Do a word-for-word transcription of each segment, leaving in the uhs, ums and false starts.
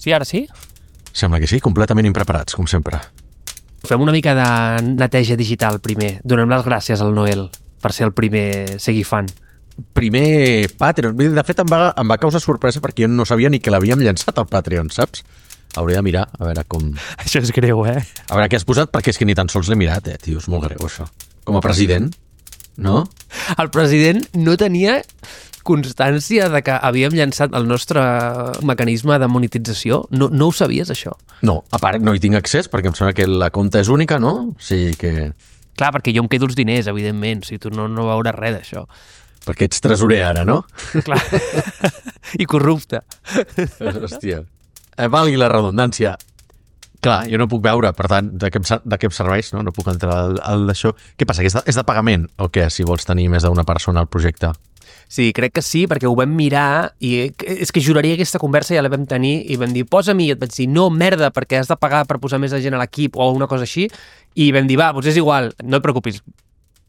Sí, ara sí? Sembla que sí, completament impreparats, com sempre. Fem una mica de neteja digital primer. Donem les gràcies al Noel per ser el primer seguir fan. Primer Patreon. De fet, em va, em va causar sorpresa perquè jo no sabia ni que l'havíem llançat al Patreon, saps? Hauria de mirar, a veure com... Això és greu, eh? A veure què has posat, perquè és que ni tan sols l'he mirat, eh, tio, és molt greu, això. Com a president, no? El president no tenia constància de que havíem llançat el nostre mecanisme de monetització. No, no ho sabies, això? No, a part no hi tinc accés, perquè em sembla que la compta és única, no? O sigui que... Clar, perquè jo em quedo els diners, evidentment. O sigui, tu no, no veuràs res d'això. Perquè ets tresorer ara, no? Clar. I corrupte. Hòstia. Eh, valgui la redundància. Clar, jo no puc veure, per tant, de què em, de què em serveix, no? No puc entrar al, al d'això. Què passa, que és de, és de pagament o què, si vols tenir més d'una persona al projecte? Sí, crec que sí, perquè ho vam mirar i és que juraria que aquesta conversa ja la vam tenir i vam dir, posa-m'hi, i et vaig dir, no, merda, perquè has de pagar per posar més gent a l'equip o una cosa així, i vam dir, va, doncs és igual, no et preocupis.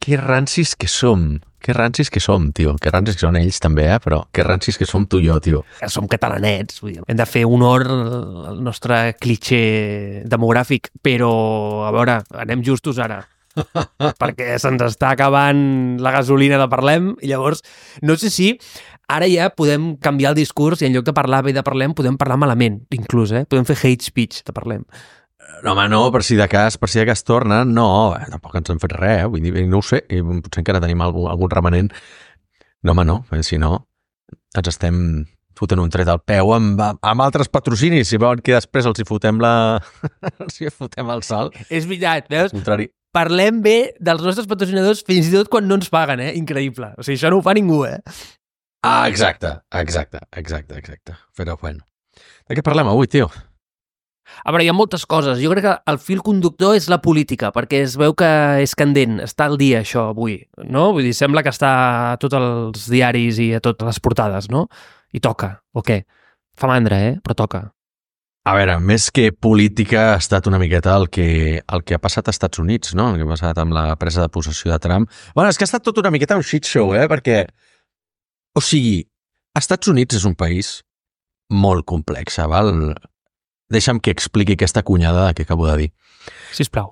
Que rancis que som, que rancis que som, tio, que rancis que són ells també, eh? Però que rancis que som tu i jo, tio. Que som catalanets, vull dir, hem de fer honor al nostre clitxer demogràfic, però, a veure, anem justos ara. Perquè se'ns està acabant la gasolina de Parlem i llavors no sé si ara ja podem canviar el discurs i en lloc de parlar bé de Parlem podem parlar malament, inclús, eh? Podem fer hate speech de Parlem. No, home, no, per si de cas, per si de cas torna, no, eh, tampoc ens hem fet res, eh? Vull dir, no ho sé, i potser encara tenim algun, algun remanent. No, home, no, si no, ens estem fotent un tret al peu amb, amb altres patrocinis, si veuen que després els hi fotem la... els hi fotem el salt. És veritat, veus? Contrari. Parlem bé dels nostres patrocinadors fins i tot quan no ens paguen, eh? Increïble. O sigui, això no ho fa ningú, eh? Ah, exacte, exacte, exacte, exacte. Però, bueno. De què parlem avui, tio? A veure, hi ha moltes coses. Jo crec que el fil conductor és la política, perquè es veu que és candent, està al dia això avui, no? Vull dir, sembla que està a tots els diaris i a totes les portades, no? I toca, o què? Fa mandra, eh? Però toca. A veure, més que política ha estat una miqueta el que, el que ha passat als Estats Units, no? El que ha passat amb la presa de possessió de Trump. Bueno, és que ha estat tot una miqueta un shit show, eh? Perquè, o sigui, als Estats Units és un país molt complex, val? Deixa'm que expliqui aquesta cunyada que acabo de dir. Sisplau.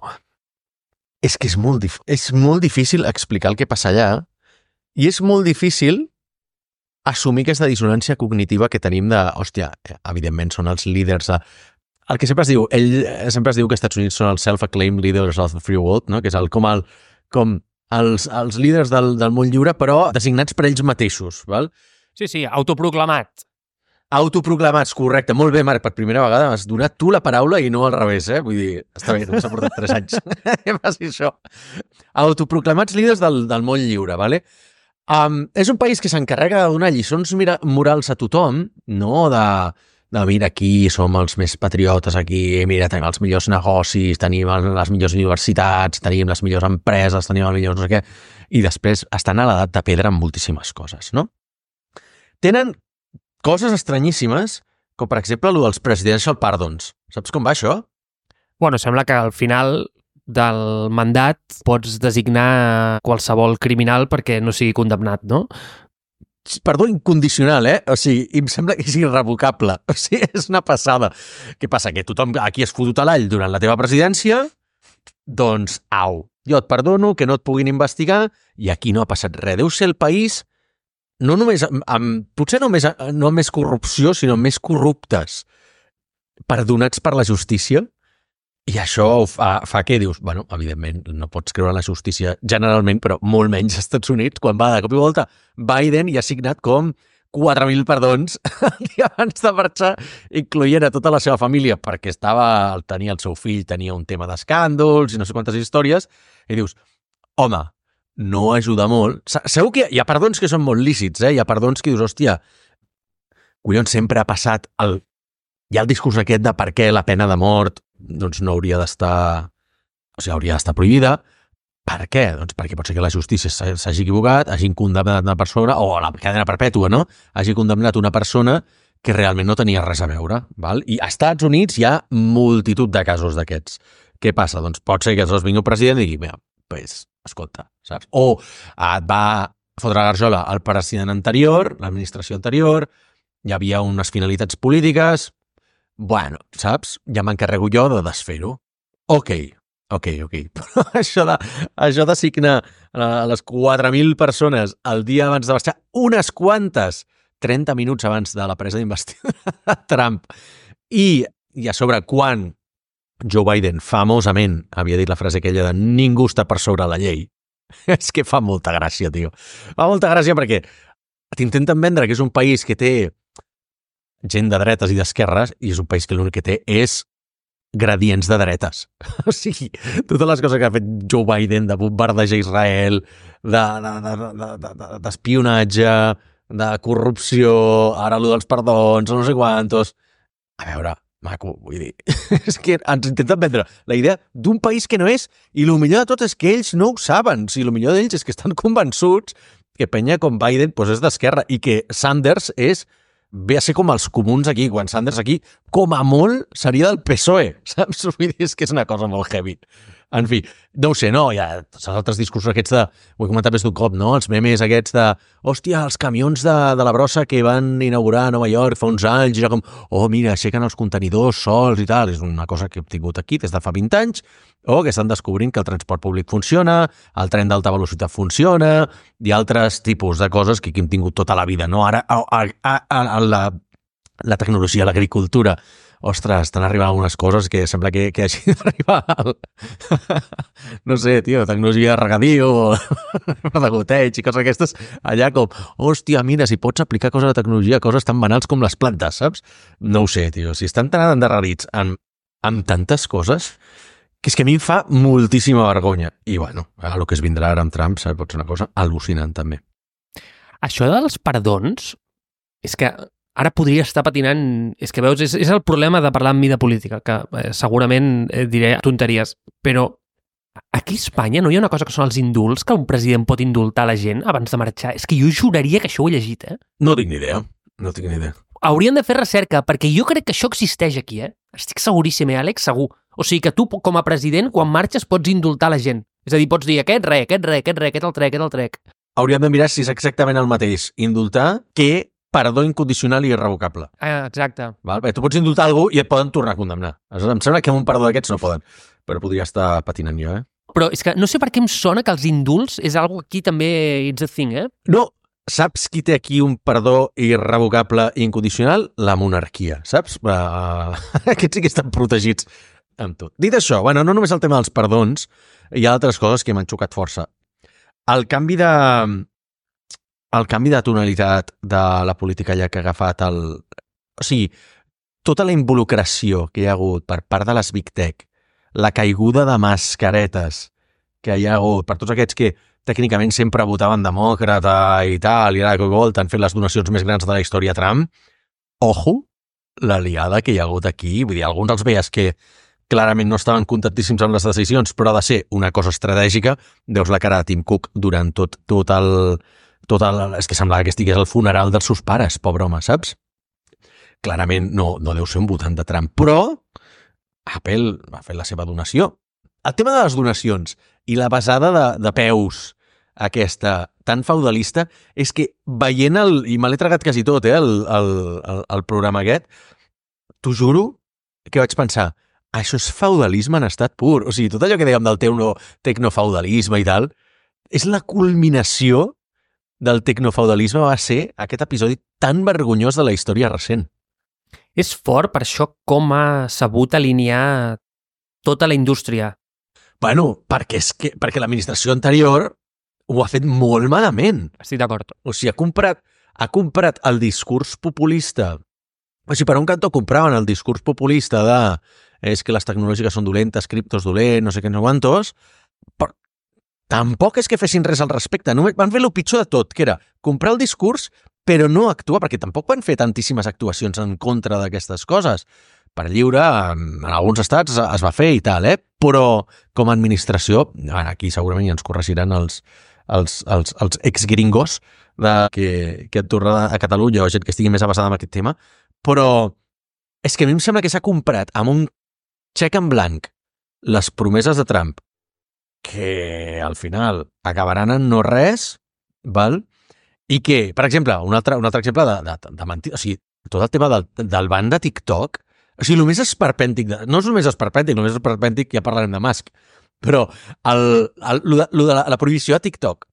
És que és molt, dif- és molt difícil explicar el que passa allà i és molt difícil assumir aquesta dissonància cognitiva que tenim de, hòstia, evidentment són els líders de... El que sempre es diu, ell sempre es diu que els Estats Units són els self-acclaimed leaders of the free world, no? Que és el, com, el, com els, els líders del, del món lliure, però designats per ells mateixos, val? Sí, sí, autoproclamat. Autoproclamats, correcte. Molt bé, Marc, per primera vegada has donat tu la paraula i no al revés, eh? Vull dir, està bé, no s'ha portat tres anys. Que faci això. Autoproclamats líders del, del món lliure, vale? Um, és un país que s'encarrega de donar lliçons mira, morals a tothom, no de, de mira, aquí som els més patriotes, aquí, mira, tenim els millors negocis, tenim les millors universitats, tenim les millors empreses, tenim els millors no sé què, i després estan a l'edat de pedra amb moltíssimes coses, no? Tenen coses estranyíssimes, com per exemple el dels presidential pardons. Saps com va això? Bueno, sembla que al final del mandat pots designar qualsevol criminal perquè no sigui condemnat, no? Perdó, incondicional, eh? O sigui, em sembla que és irrevocable. O sigui, és una passada. Què passa? Que tothom aquí has fotut a l'all durant la teva presidència? Doncs, au, jo et perdono, que no et puguin investigar, i aquí no ha passat res. Deu ser el país, no només, amb, amb, potser no més, no més corrupció, sinó més corruptes, perdonats per la justícia. I això fa, fa que dius, bueno, evidentment, no pots creure en la justícia generalment, però molt menys als Estats Units, quan va de cop i volta Biden i ha signat com quatre mil perdons el dia abans de marxar, incloent a tota la seva família, perquè estava, tenia el seu fill, tenia un tema d'escàndols i no sé quantes històries, i dius, home, no ajuda molt. Segur que hi ha perdons que són molt lícits, eh? Hi ha perdons que dius, hòstia, collons, sempre ha passat el... Hi ha el discurs aquest de per què la pena de mort doncs no hauria d'estar, o sigui, hauria d'estar prohibida. Per què? Doncs perquè pot ser que la justícia s'hagi equivocat, hagin condemnat una persona, o la cadena perpètua, no? Hagi condemnat una persona que realment no tenia res a veure, val? I als Estats Units hi ha multitud de casos d'aquests. Què passa? Doncs pot ser que aleshores vingui un president i digui, mira, pues, escolta, saps? O et va fotre la garjola al president anterior, l'administració anterior, hi havia unes finalitats polítiques, bueno, saps? Ja m'encarrego jo de desfer-ho. Ok, ok, ok. Però això de, això de signar a les quatre mil persones el dia abans de marxar, unes quantes, trenta minuts abans de la presa d'investidura de Trump, i, i a sobre quan Joe Biden famosament havia dit la frase aquella de ningú està per sobre la llei, és que fa molta gràcia, tio. Fa molta gràcia perquè t'intenten vendre que és un país que té gent de dretes i d'esquerres i és un país que l'únic que té és gradients de dretes. O sigui, totes les coses que ha fet Joe Biden de bombardejar Israel, d'espionatge, de, de, de, de corrupció, ara allò dels perdons, no sé quantos... A veure, maco, vull dir, és que ens intenten vendre la idea d'un país que no és, i el millor de tot és que ells no ho saben. O sigui, el millor d'ells és que estan convençuts que penya com Biden pues, és d'esquerra i que Sanders és ve a ser com els comuns aquí, quan Sanders aquí, com a molt, seria del P S O E, saps? Vull dir, és que és una cosa molt heavy. En fi, no ho sé, no, hi ha tots els altres discursos aquests de, ho he comentat més d'un cop, no? Els memes aquests de, hòstia, els camions de, de la brossa que van inaugurar a Nova York fa uns anys, i ja com, oh, mira, aixequen els contenidors sols i tal, és una cosa que hem tingut aquí des de fa vint anys, o que estan descobrint que el transport públic funciona, el tren d'alta velocitat funciona, i altres tipus de coses que aquí hem tingut tota la vida, no? Ara, a, a, a, a la, la tecnologia, l'agricultura, ostres, estan arribant algunes coses que sembla que, que hagi d'arribar al... no sé, tio, tecnologia de regadiu o de goteig i coses aquestes, allà com, hòstia, mira, si pots aplicar coses de tecnologia, coses tan banals com les plantes, saps? No ho sé, tio, si estan tan endarrerits amb, amb tantes coses que és que a mi em fa moltíssima vergonya. I, bueno, el que es vindrà ara amb Trump, saps? Pot ser una cosa al·lucinant, també. Això dels perdons, és que ara podria estar patinant... És que veus, és, és el problema de parlar amb mi de política, que eh, segurament eh, diré tonteries, però aquí a Espanya no hi ha una cosa que són els indults, que un president pot indultar la gent abans de marxar. És que jo juraria que això ho he llegit, eh? No tinc ni idea, no tinc ni idea. Haurien de fer recerca, perquè jo crec que això existeix aquí, eh? Estic seguríssim, eh, Àlex? Segur. O sigui que tu, com a president, quan marxes, pots indultar la gent. És a dir, pots dir aquest re, aquest re, aquest re, aquest el trec, aquest el trec. Hauríem de mirar si és exactament el mateix indultar que perdó incondicional i irrevocable. Ah, exacte. Val? Bé, tu pots indultar algú i et poden tornar a condemnar. Em sembla que amb un perdó d'aquests no poden, però podria estar patinant jo, eh? Però és que no sé per què em sona que els indults és algo aquí també it's a thing, eh? No, saps qui té aquí un perdó irrevocable i incondicional? La monarquia, saps? Uh, aquests sí que estan protegits amb tot. Dit això, bueno, no només el tema dels perdons, hi ha altres coses que m'han xocat força. El canvi de... el canvi de tonalitat de la política ja que ha agafat el... O sigui, tota la involucració que hi ha hagut per part de les Big Tech, la caiguda de mascaretes que hi ha hagut per tots aquests que tècnicament sempre votaven demòcrata i tal, i ara que t'han fet les donacions més grans de la història a Trump, ojo, l'aliada que hi ha hagut aquí, vull dir, alguns els veies que clarament no estaven contentíssims amb les decisions, però ha de ser una cosa estratègica, veus la cara de Tim Cook durant tot, tot el... Tot el, és que semblava que estigués al funeral dels seus pares, pobre home, saps? Clarament no, no deu ser un votant de Trump, però Apple ha fet la seva donació. El tema de les donacions i la basada de, de peus aquesta tan feudalista és que veient el... I me l'he tragat quasi tot, eh, el, el, el, el programa aquest, t'ho juro que vaig pensar, això és feudalisme en estat pur. O sigui, tot allò que dèiem del tecno, tecnofeudalisme i tal, és la culminació del tecnofeudalisme va ser aquest episodi tan vergonyós de la història recent. És fort per això com ha sabut alinear tota la indústria. Bueno, perquè, és que, perquè l'administració anterior ho ha fet molt malament. Estic d'acord. O sigui, ha comprat, ha comprat el discurs populista. O sigui, per un cantó compraven el discurs populista de és que les tecnològiques són dolentes, criptos dolent, no sé què, no quantos, però tampoc és que fessin res al respecte. Només van fer el pitjor de tot, que era comprar el discurs però no actuar, perquè tampoc van fer tantíssimes actuacions en contra d'aquestes coses. Per lliure, en alguns estats es va fer i tal, eh? Però com a administració, aquí segurament ja ens corregiran els, els, els, els ex-gringos de, que, que han tornat a Catalunya o gent que estigui més avançada en aquest tema, però és que a mi em sembla que s'ha comprat amb un xec en blanc les promeses de Trump que al final acabaran en no res, val? I que, per exemple, un altre, un altre exemple de, de, de mentir, o sigui, tot el tema del, del ban de TikTok O sigui, el més esperpèntic, de... no és el més esperpèntic, el més esperpèntic ja parlarem de Musk, però el, el, el, de, el de la, la prohibició a TikTok,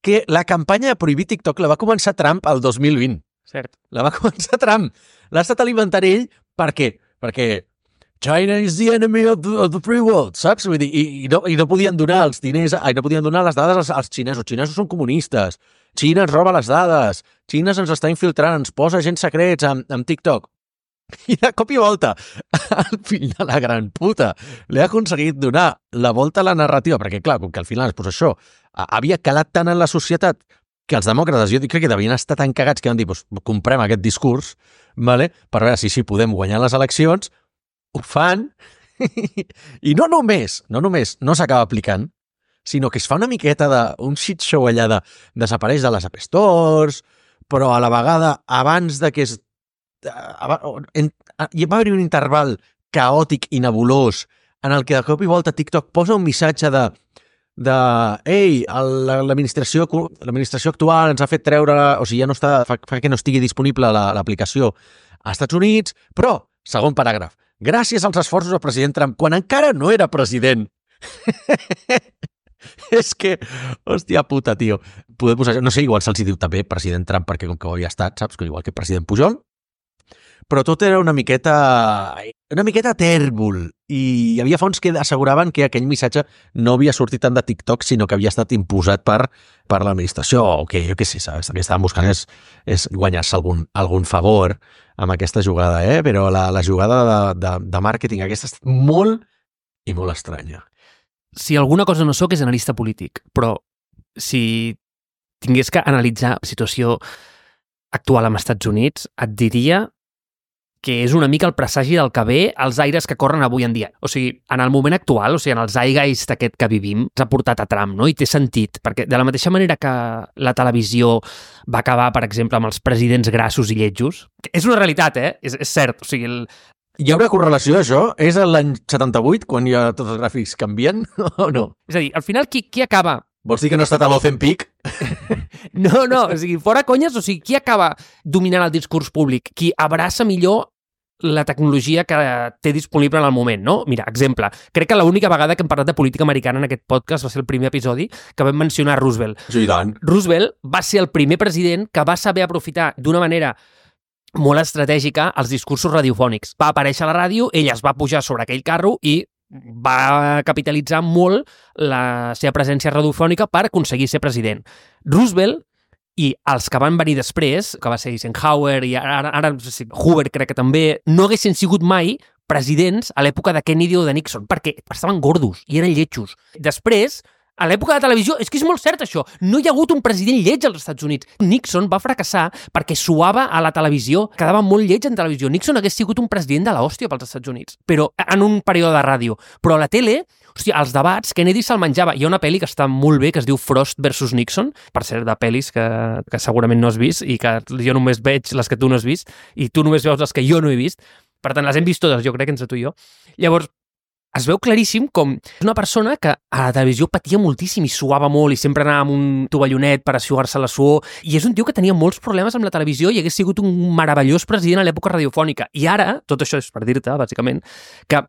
que la campanya de prohibir TikTok la va començar Trump el dos mil vint. Cert. La va començar Trump. L'ha estat alimentant ell, per què? Perquè China is the enemy of the, of the free world, saps? Vull dir, i, i, no, i no podien donar els diners, ai, no podien donar les dades als, als xinesos. Els xinesos són comunistes. Xina ens roba les dades. Xina ens està infiltrant, ens posa agents secrets amb, amb TikTok. I de cop i volta, el fill de la gran puta li ha aconseguit donar la volta a la narrativa, perquè clar, com que al final pues, això havia calat tant en la societat que els demòcrates, jo crec que devien estar tan cagats que van dir, pues, comprem aquest discurs, vale? Per veure si sí podem guanyar les eleccions. Ho fan i no només, no només no s'acaba aplicant, sinó que es fa una miqueta d'un shit show allà de desapareix de les App Stores, però a la vegada abans de que es en, hi va haver un interval caòtic i nebulós en el que de cop i volta TikTok posa un missatge de de, ei, l'administració l'administració actual ens ha fet treure, o sigui, ja no està, fa, fa que no estigui disponible l'aplicació als Estats Units, però, segon paràgraf, gràcies als esforços del president Trump, quan encara no era president. És que, hòstia puta, tio. Poder posar, no sé, igual se'ls diu també president Trump perquè com que ho havia estat, saps? Igual que president Pujol. Però tot era una miqueta una miqueta tèrbol i hi havia fons que asseguraven que aquell missatge no havia sortit tant de TikTok, sinó que havia estat imposat per, per l'administració, o que jo què sé, saps? El que estaven buscant és, és guanyar-se algun, algun favor amb aquesta jugada, eh? Però la, la jugada de, de, de màrqueting aquesta ha estat molt i molt estranya. Si alguna cosa no sóc és analista polític, però si tingués que analitzar la situació actual als Estats Units, et diria que és una mica el presagi del que ve als aires que corren avui en dia. O sigui, en el moment actual, o sigui, en el zeitgeist aquest que vivim, s'ha portat a Trump, no? I té sentit, perquè de la mateixa manera que la televisió va acabar, per exemple, amb els presidents grassos i lletjos, és una realitat, eh? És, és cert, o sigui... El... Hi haurà correlació d'això? És l'any setanta-vuit, quan ja tots els gràfics canvien, o no? És a dir, al final, qui, qui acaba... Vols dir que no ha estat a l'Ozempic? No, no, o sigui, fora conyes, o sigui, qui acaba dominant el discurs públic? Qui abraça millor la tecnologia que té disponible en el moment, no? Mira, exemple, crec que l'única vegada que hem parlat de política americana en aquest podcast va ser el primer episodi que vam mencionar Roosevelt. Sí, tant. Roosevelt va ser el primer president que va saber aprofitar d'una manera molt estratègica els discursos radiofònics. Va aparèixer a la ràdio, ell es va pujar sobre aquell carro i va capitalitzar molt la seva presència radiofònica per aconseguir ser president. Roosevelt i els que van venir després, que va ser Eisenhower i ara, ara Hoover crec que també, no haguessin sigut mai presidents a l'època de Kennedy o de Nixon, perquè estaven gordos i eren lletjos. Després, a l'època de la televisió, és que és molt cert això, no hi ha hagut un president lleig als Estats Units. Nixon va fracassar perquè suava a la televisió, quedava molt lleig en televisió. Nixon hagués sigut un president de l'hòstia pels Estats Units, però en un període de ràdio. Però a la tele, hòstia, als debats, Kennedy se'l menjava. Hi ha una pel·li que està molt bé, que es diu Frost versus Nixon, per cert, de pel·lis que, que segurament no has vist i que jo només veig les que tu no has vist i tu només veus les que jo no he vist. Per tant, les hem vist totes, jo crec, entre tu i jo. Llavors, es veu claríssim com és una persona que a la televisió patia moltíssim i suava molt i sempre anava amb un tovallonet per assuar-se la suor, i és un tio que tenia molts problemes amb la televisió i hagués sigut un meravellós president a l'època radiofònica. I ara, tot això és per dir-te, bàsicament, que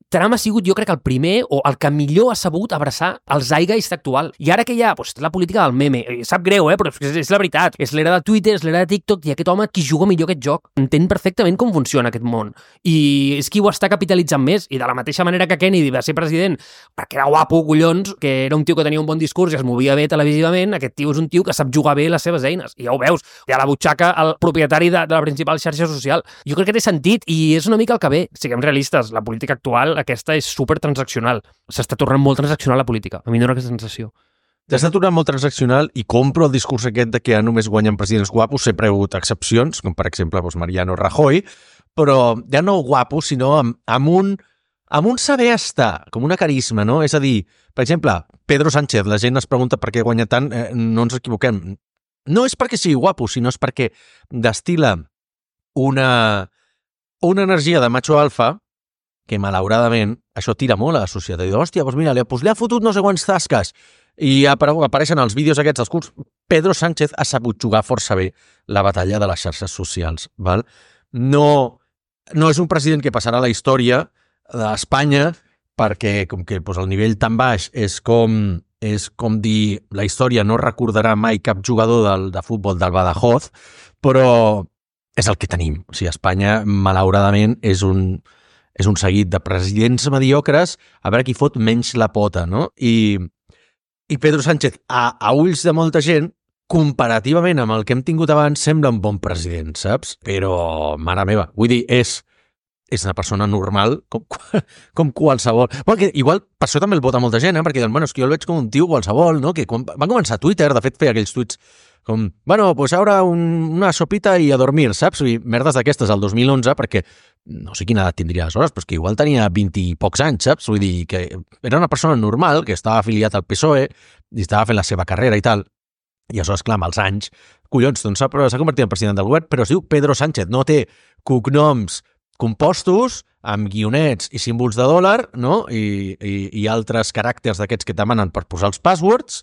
Trump ha sigut, jo crec, el primer o el que millor ha sabut abraçar el zeitgeist actual. I ara que hi ha doncs, la política del meme, sap greu, eh? Però és, és la veritat. És l'era de Twitter, és l'era de TikTok, i aquest home qui juga millor aquest joc entén perfectament com funciona aquest món. I és qui ho està capitalitzant més. I de la mateixa manera que Kennedy va ser president perquè era guapo, collons, que era un tio que tenia un bon discurs i es movia bé televisivament, aquest tio és un tio que sap jugar bé les seves eines. I ja ho veus, té a la butxaca el propietari de, de la principal xarxa social. Jo crec que té sentit i és una mica el que ve. Siguem realistes, la política actual aquesta és super transaccional. S'està tornant molt transaccional la política. A mi no era aquesta sensació. S'està tornant molt transaccional i compro el discurs aquest de que ja només guanyen presidents guapos. Sempre hi ha hagut excepcions, com per exemple doncs Mariano Rajoy, però ja no guapos, sinó amb, amb, un, amb un saber estar, com una carisma, no? És a dir, per exemple, Pedro Sánchez, la gent es pregunta per què guanya tant, eh, no ens equivoquem. No és perquè sigui guapo, sinó és perquè destila una, una energia de macho alfa que malauradament això tira molt a la societat. I diu, hòstia, doncs mira, li, doncs li ha fotut no sé quants tasques. I apareixen els vídeos aquests dels curts. Pedro Sánchez ha sabut jugar força bé la batalla de les xarxes socials. Val? No no és un president que passarà a la història d'Espanya perquè com que doncs, el nivell tan baix és com, és com dir la història no recordarà mai cap jugador del, de futbol del Badajoz, però és el que tenim. O sigui, Espanya, malauradament, és un, és un seguit de presidents mediocres a veure qui fot menys la pota, no? I, i Pedro Sánchez, a, a ulls de molta gent, comparativament amb el que hem tingut abans, sembla un bon president, saps? Però, mare meva, vull dir, és, és una persona normal com, com qualsevol. Bueno, que igual per això també el vota molta gent, eh? Perquè diuen, bueno, és que jo el veig com un tio qualsevol, no? Que quan va començar a Twitter, de fet, feia aquells tuits com, bueno, pues ara un, una sopita i a dormir, saps? I merdes d'aquestes al dos mil onze, perquè no sé quina edat tindria aleshores, però és que igual tenia vint i pocs anys, saps? Vull dir que era una persona normal, que estava afiliat al P S O E i estava fent la seva carrera i tal. I aleshores, clar, amb els anys, collons, doncs s'ha convertit en president del govern, però es diu Pedro Sánchez, no té cognoms compostos amb guionets i símbols de dòlar, no? I, i, i altres caràcters d'aquests que et demanen per posar els passwords,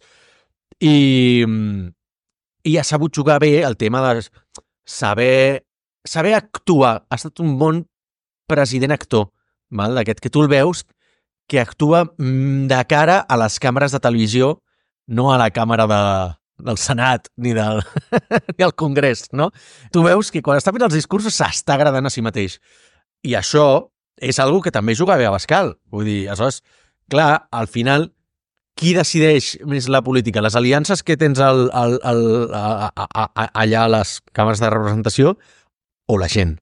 i, i ha sabut jugar bé el tema de saber, saber actuar. Ha estat un bon president actor, val? D'aquest que tu el veus, que actua de cara a les càmeres de televisió, no a la càmera de, del Senat ni del, ni al Congrés, no? Tu veus que quan està fent els discursos s'està agradant a si mateix. I això és algo que també juga bé a Abascal. Vull dir, aleshores, clar, al final, qui decideix més la política? Les aliances que tens al, al, al, a, a, a, allà a les càmeres de representació o la gent?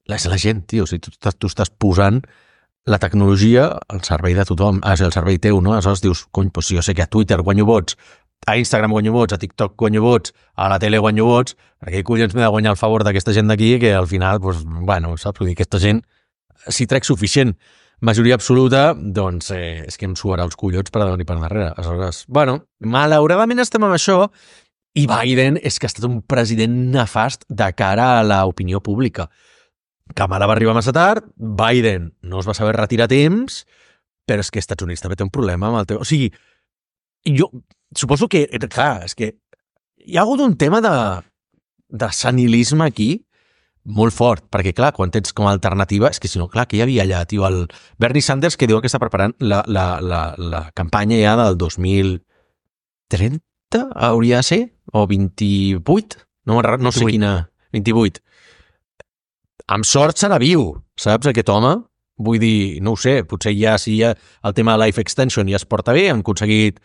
És la gent, tio. O sigui, tu, estàs, tu estàs posant la tecnologia al servei de tothom, ah, al servei teu, no? Aleshores dius, cony, doncs si jo sé que a Twitter guanyo vots, a Instagram guanyo vots, a TikTok guanyo vots, a la tele guanyo vots, per què collons m'he de guanyar el favor d'aquesta gent d'aquí que al final, doncs, bueno, saps? Vull dir, aquesta gent, si trec suficient majoria absoluta, doncs eh, és que em suarà els collons per davant i per darrere. Aleshores, bueno, malauradament estem amb això i Biden és que ha estat un president nefast de cara a l'opinió pública. Kamala va arribar massa tard, Biden no es va saber retirar a temps, però és que als Estats Units també té un problema amb el teu... O sigui, jo suposo que, clar, és que hi ha hagut un tema de, de senilisme aquí molt fort, perquè, clar, quan tens com a alternativa, és que si no, clar, que hi havia allà, tio, el Bernie Sanders, que diuen que està preparant la, la, la, la campanya ja del dos mil trenta, hauria de ser? O vint-i-vuit? No, no sé quina... vint-i-vuit. Amb sort serà viu, saps, aquest home? Vull dir, no ho sé, potser ja si ja el tema de Life Extension ja es porta bé, han aconseguit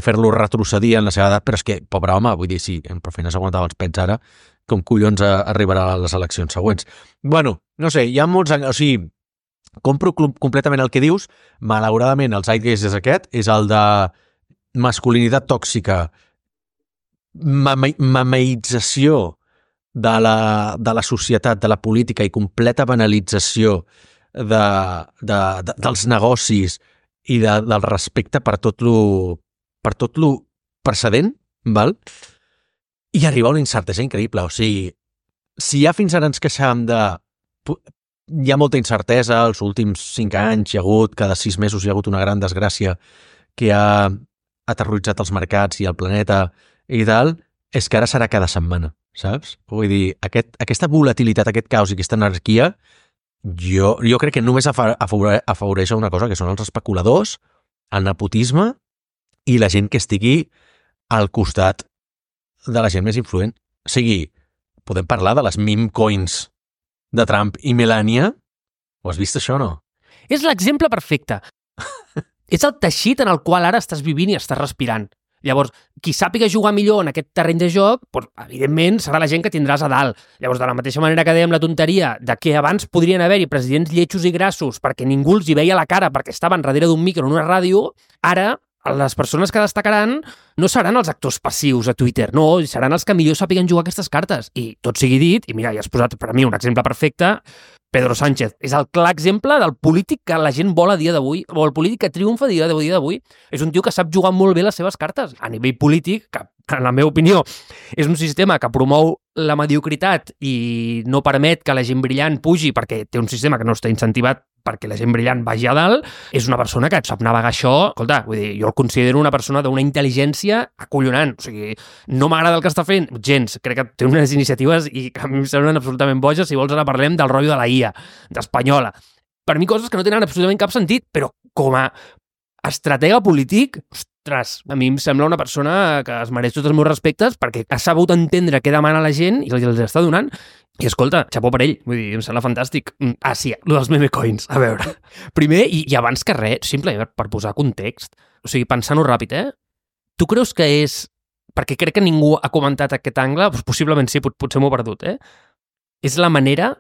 fer-lo retrocedir en la seva edat, però és que, pobre home, vull dir, sí, en Profeina s'aguantava els pets ara, com collons arribarà a les eleccions següents. Bueno, no sé, hi ha molts... O sigui, compro completament el que dius, malauradament el zeitgeist és aquest, és el de masculinitat tòxica, mameïtzació de la, de la societat, de la política i completa banalització de, de, de, dels negocis i de, del respecte per tot lo, per tot lo precedent, val? I arriba una incertesa increïble. O sigui, si ja fins ara ens queixàvem de... Hi ha molta incertesa, els últims cinc anys hi ha hagut, cada sis mesos hi ha hagut una gran desgràcia que ha aterroritzat els mercats i el planeta i tal, és que ara serà cada setmana, saps? Vull dir, aquest, aquesta volatilitat, aquest caos i aquesta anarquia, jo, jo crec que només afavoreix una cosa, que són els especuladors, el nepotisme i la gent que estigui al costat de la gent més influent. O sigui, podem parlar de les meme coins de Trump i Melania? Ho has vist, això, o no? És l'exemple perfecte. És el teixit en el qual ara estàs vivint i estàs respirant. Llavors, qui sàpiga jugar millor en aquest terreny de joc, doncs, evidentment, serà la gent que tindràs a dalt. Llavors, de la mateixa manera que dèiem la tonteria de que abans podrien haver-hi presidents lletjos i grassos perquè ningú els hi veia la cara perquè estaven darrere d'un micro en una ràdio, ara les persones que destacaran no seran els actors passius a Twitter, no, seran els que millor sàpiguen jugar aquestes cartes. I tot sigui dit, i mira, ja has posat per a mi un exemple perfecte, Pedro Sánchez és el clar exemple del polític que la gent vol a dia d'avui, o el polític que triomfa a dia d'avui. És un tio que sap jugar molt bé les seves cartes a nivell polític, que, en la meva opinió, és un sistema que promou la mediocritat i no permet que la gent brillant pugi perquè té un sistema que no està incentivat perquè la gent brillant vagi a dalt, és una persona que sap navegar això. Escolta, vull dir, jo el considero una persona d'una intel·ligència acollonant. O sigui, no m'agrada el que està fent gens. Crec que té unes iniciatives i que a mi em semblen absolutament boges. Si vols, ara parlem del rotllo de la I A, d'Espanyola. Per mi, coses que no tenen absolutament cap sentit, però com a estratega polític, ostres, a mi em sembla una persona que es mereix tots els meus respectes perquè ha sabut entendre què demana la gent i els està donant. I escolta, xapó per ell, vull dir, em sembla fantàstic. Ah, sí, el dels meme coins, a veure. Primer, i, i abans que res, simplement per posar context, o sigui, pensant-ho ràpid, eh? Tu creus que és... Perquè crec que ningú ha comentat aquest angle, doncs possiblement sí, pot, potser m'ho he perdut, eh? És la manera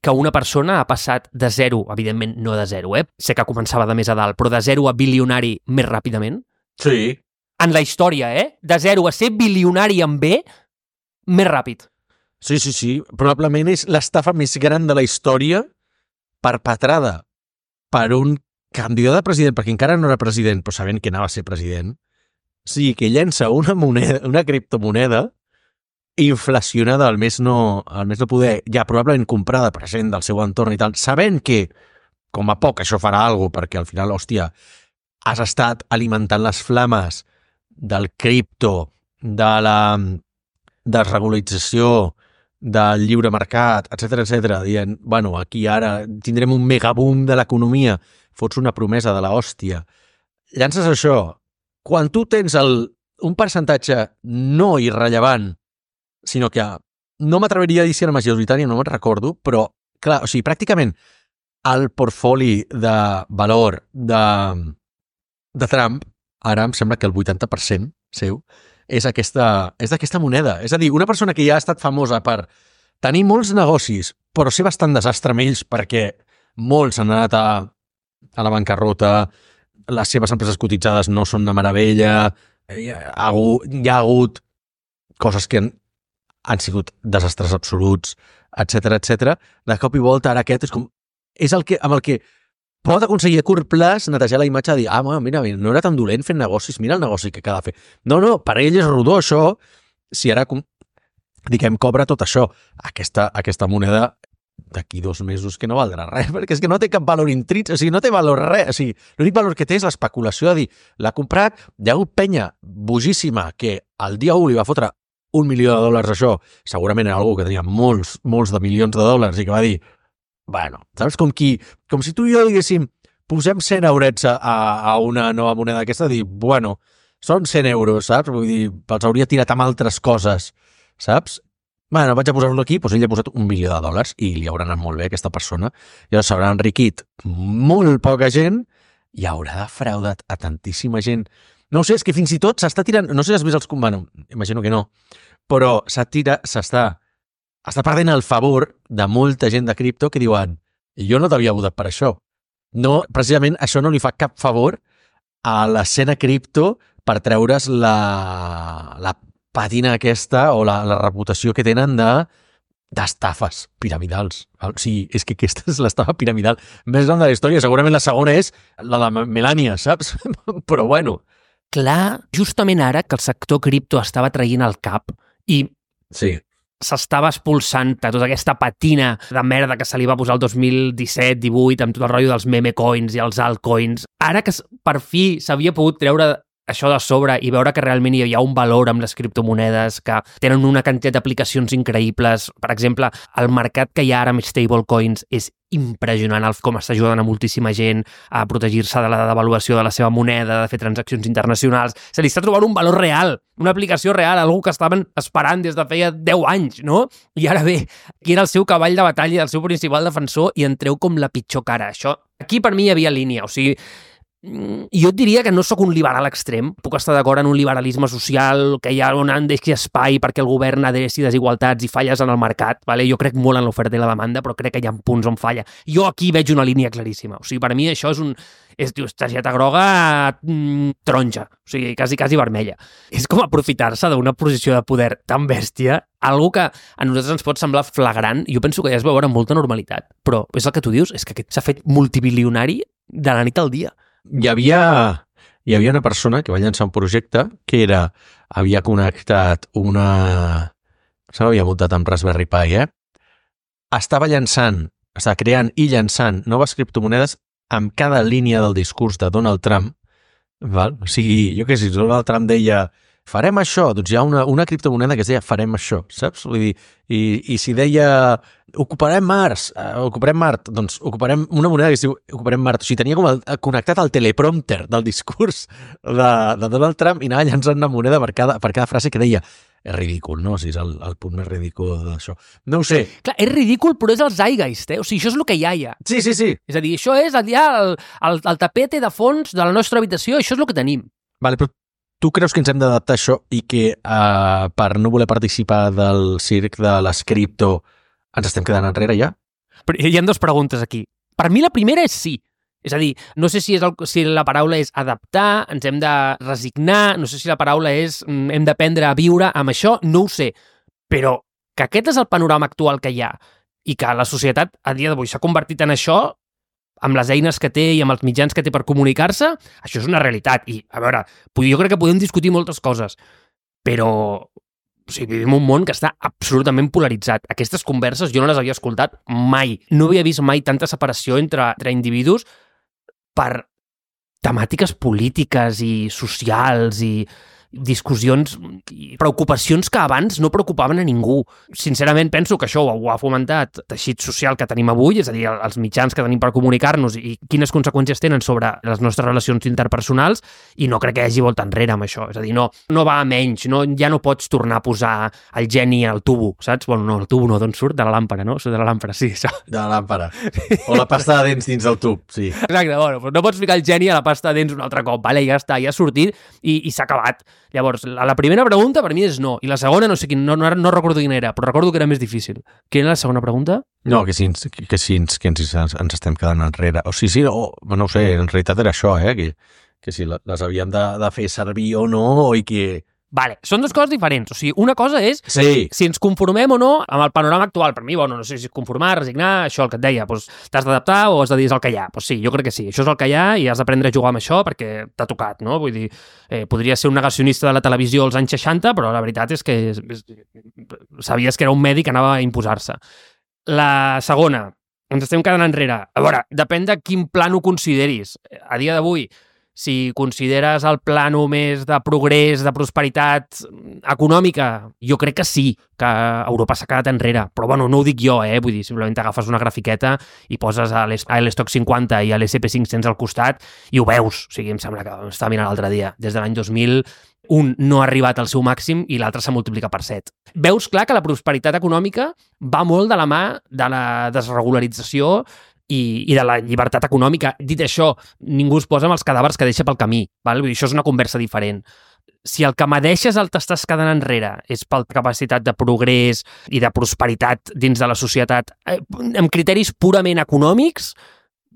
que una persona ha passat de zero, evidentment no de zero, eh? Sé que començava de més a dalt, però de zero a bilionari més ràpidament. Sí. En la història, eh? De zero a ser bilionari en B, més ràpid. Sí, sí, sí. Probablement és l'estafa més gran de la història perpetrada per un candidat a president, perquè encara no era president, però sabent que anava a ser president. O sigui, que llença una moneda, una criptomoneda inflacionada al més no, al més no poder, ja probablement comprada per gent del seu entorn i tal, sabent que, com a poc, això farà alguna cosa, perquè al final, hòstia, has estat alimentant les flames del cripto, de la desregularització, del lliure mercat, etcètera, etcètera, dient, bueno, aquí ara tindrem un megaboom de l'economia, fots una promesa de la hòstia. Llances això, quan tu tens el, un percentatge no irrellevant, sinó que no m'atreviria a dir si era majoritària, no me'n recordo, però, clar, o sigui, pràcticament el portfoli de valor de, de Trump, ara em sembla que el vuitanta per cent seu, és aquesta, és d'aquesta moneda. És a dir, una persona que ja ha estat famosa per tenir molts negocis, però ser bastant desastre amb ells perquè molts han anat a, a la bancarrota, les seves empreses cotitzades no són de meravella, hi ha, hi ha hagut coses que han, han sigut desastres absoluts, etcètera, etcètera. De cop i volta, ara aquest és com... És el que, amb el que pot aconseguir a curt plaç netejar la imatge de dir, ah, mira, mira, no era tan dolent fent negocis, mira el negoci que acaba de fer. No, no, per ell és rodó això, si ara, diguem, cobra tot això. Aquesta, aquesta moneda d'aquí dos mesos que no valdrà res, perquè és que no té cap valor intrínsec, o sigui, no té valor res, o sigui, l'únic valor que té és l'especulació de dir, l'ha comprat, hi ha hagut penya bojíssima que el dia u li va fotre un milió de dòlars això, segurament era algú que tenia molts, molts de milions de dòlars i que va dir, bueno, saps? Com, qui, com si tu i jo diguéssim, posem cent eurets a, a una nova moneda d'aquesta, dir, bueno, són cent euros, saps? Vull dir, els hauria tirat amb altres coses, saps? Bueno, vaig a posar-lo aquí, doncs ell ha posat un milió de dòlars i li haurà anat molt bé a aquesta persona, i llavors s'haurà enriquit molt poca gent i haurà defraudat a tantíssima gent. No ho sé, és que fins i tot s'està tirant, no sé si has vist els... Bueno, imagino que no, però s'està s'està està perdent el favor de molta gent de cripto que diuen, jo no t'havia votat per això. No, precisament això no li fa cap favor a l'escena cripto per treure's la, la patina aquesta o la, la reputació que tenen de d'estafes piramidals. O sigui, és que aquesta és l'estafa piramidal més gran de la història. Segurament la segona és la de Melania, saps? Però bueno. Clar, justament ara que el sector cripto estava traient el cap i sí. s'estava expulsant de tota aquesta patina de merda que se li va posar el dos mil disset divuit amb tot el rotllo dels meme coins i els altcoins. Ara que per fi s'havia pogut treure això de sobre i veure que realment hi ha un valor amb les criptomonedes, que tenen una quantitat d'aplicacions increïbles. Per exemple, el mercat que hi ha ara amb stablecoins és impressionant com està ajudant a moltíssima gent a protegir-se de la devaluació de la seva moneda, de fer transaccions internacionals. Se li està trobant un valor real, una aplicació real, algú que estaven esperant des de feia deu anys, no? I ara bé, aquí era el seu cavall de batalla, el seu principal defensor, i en treu com la pitjor cara. Això, aquí per mi hi havia línia, o sigui, jo et diria que no sóc un liberal extrem, puc estar d'acord en un liberalisme social, que hi ha on han deixat espai perquè el govern adreci desigualtats i falles en el mercat, vale? Jo crec molt en l'oferta i la demanda, però crec que hi ha punts on falla. Jo aquí veig una línia claríssima, o sigui, per mi això és un... és, dius, targeta groga mm, taronja, o sigui, quasi, quasi vermella. És com aprofitar-se d'una posició de poder tan bèstia, algo que a nosaltres ens pot semblar flagrant, jo penso que ja es veu amb molta normalitat, però és el que tu dius, és que aquest s'ha fet multibilionari de la nit al dia. Hi havia, hi havia una persona que va llançar un projecte que era, havia connectat una, se m'havia muntat amb Raspberry Pi, eh? Estava llançant, estava creant i llançant noves criptomonedes amb cada línia del discurs de Donald Trump, val? O sigui, jo què sé, Donald Trump deia farem això, doncs hi ha una, una criptomoneda que es deia farem això, saps? Vull dir, i, i si deia ocuparem Mars, uh, ocuparem Mart, doncs ocuparem una moneda que es diu ocuparem Mart. O sigui, tenia com el, connectat al teleprompter del discurs de, de Donald Trump i anava llançant una moneda per cada, per cada frase que deia. És ridícul, no? O sigui, és el, el punt més ridícul d'això. No ho sé. Clar, és ridícul, però és el zeitgeist, eh? O sigui, això és el que hi ha ja. Sí, sí, sí. És a dir, això és allà el, el, el tapete de fons de la nostra habitació, això és el que tenim. Vale, però tu creus que ens hem d'adaptar a això i que uh, per no voler participar del circ de les cripto ens estem quedant enrere ja? Però hi ha dues preguntes aquí. Per mi la primera és sí. És a dir, no sé si, és el, si la paraula és adaptar, ens hem de resignar, no sé si la paraula és hem d'aprendre a viure amb això, no ho sé. Però que aquest és el panorama actual que hi ha i que la societat a dia d'avui s'ha convertit en això, amb les eines que té i amb els mitjans que té per comunicar-se, això és una realitat. I, a veure, jo crec que podem discutir moltes coses, però o sigui, vivim un món que està absolutament polaritzat. Aquestes converses jo no les havia escoltat mai. No havia vist mai tanta separació entre, entre individus per temàtiques polítiques i socials i discussions i preocupacions que abans no preocupaven a ningú. Sincerament penso que això ho ha fomentat el teixit social que tenim avui, és a dir, els mitjans que tenim per comunicar-nos i quines conseqüències tenen sobre les nostres relacions interpersonals, i no crec que hi hagi volta enrere amb això. És a dir, no, no va a menys, no, ja no pots tornar a posar el geni al tubo, saps? Bueno, no, el tubo no, d'on surt? De la làmpara, no? De la làmpara, sí, això. De la làmpara. O la pasta de dents dins del tub, sí. Exacte, bueno, però no pots ficar el geni a la pasta de dents un altre cop, vale? Ja està, ja ha sortit i, i s'ha acabat. Llavors, la primera pregunta per mi és no, i la segona no sé quin, no, no, no recordo quina era, però recordo que era més difícil. Quina era la segona pregunta? No, que sí, que, que sí que ens, ens estem quedant enrere. O sigui, sí, o, no ho sé, en realitat era això, eh? Que, que si les havíem de, de fer servir o no, i que... Vale, són dues coses diferents. O sigui, una cosa és sí. si ens conformem o no amb el panorama actual. Per mi, bueno, no sé si conformar, resignar, això el que et deia, doncs t'has d'adaptar o has de dir és el que hi ha. Doncs sí, jo crec que sí, això és el que hi ha i has d'aprendre a jugar amb això perquè t'ha tocat, no? Vull dir, eh, podria ser un negacionista de la televisió als anys seixanta, però la veritat és que és, és, sabies que era un medi que anava a imposar-se. La segona, ens estem quedant enrere. A veure, depèn de quin plan ho consideris. A dia d'avui, si consideres el plano més de progrés, de prosperitat econòmica, jo crec que sí, que Europa s'ha quedat enrere. Però bueno, no ho dic jo, eh? Vull dir, simplement agafes una grafiqueta i poses a l'Stock cinquanta i a l'S and P cinc-cents al costat i ho veus. O sigui, em sembla que estava mirant l'altre dia. Des de l'any dos mil, un no ha arribat al seu màxim i l'altre s'ha multiplicat per set. Veus clar que la prosperitat econòmica va molt de la mà de la desregularització I, i de la llibertat econòmica. Dit això, ningú es posa amb els cadàvers que deixa pel camí. Val? Vull dir, això és una conversa diferent. Si el que medeixes el t'estàs quedant enrere és per capacitat de progrés i de prosperitat dins de la societat, eh, amb criteris purament econòmics,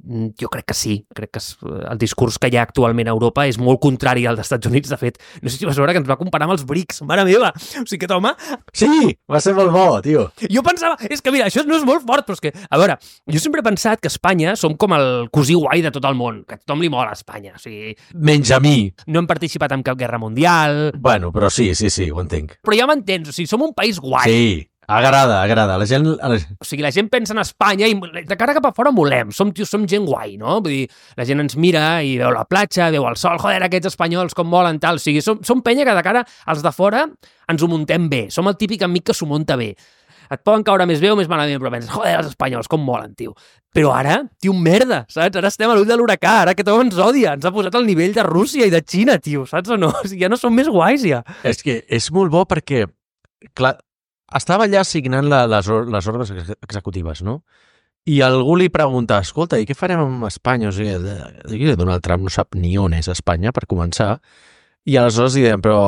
jo crec que sí. Crec que el discurs que hi ha actualment a Europa és molt contrari al dels Estats Units. De fet, no sé si vas veure que ens va comparar amb els brics. Mare meva! O sigui, aquest home... Sí! Va ser molt bo, tio. Jo pensava... És que, mira, això no és molt fort, però és que... A veure, jo sempre he pensat que Espanya som com el cosí guai de tot el món, que a tothom li mola a Espanya. O sigui... Menys a mi. No hem participat en cap guerra mundial... Bueno, però sí, sí, sí, ho entenc. Però ja m'entens, o sigui, som un país guai. Sí. Agrada, agrada. La gent... O sigui, la gent pensa en Espanya i de cara cap a fora molem. Som, tio, som gent guai, no? Vull dir, la gent ens mira i veu la platja, veu el sol, joder, aquests espanyols com molen, tal. O sigui, som, som penya que de cara als de fora ens ho muntem bé. Som el típic amic que s'ho munta bé. Et poden caure més bé o més malament, però penses, joder, els espanyols, com molen, tio. Però ara, tio, merda, saps? Ara estem a l'ull de l'huracà, ara que tothom ens odia. Ens ha posat al nivell de Rússia i de Xina, tio, saps o no? O sigui, ja no som més guais, ja. És que és molt bo perquè, clar, estava allà signant la, les, les ordres executives, no? I algú li pregunta, escolta, i què farem amb Espanya? O sigui, Donald Trump no sap ni on és Espanya, per començar. I aleshores li deien, però,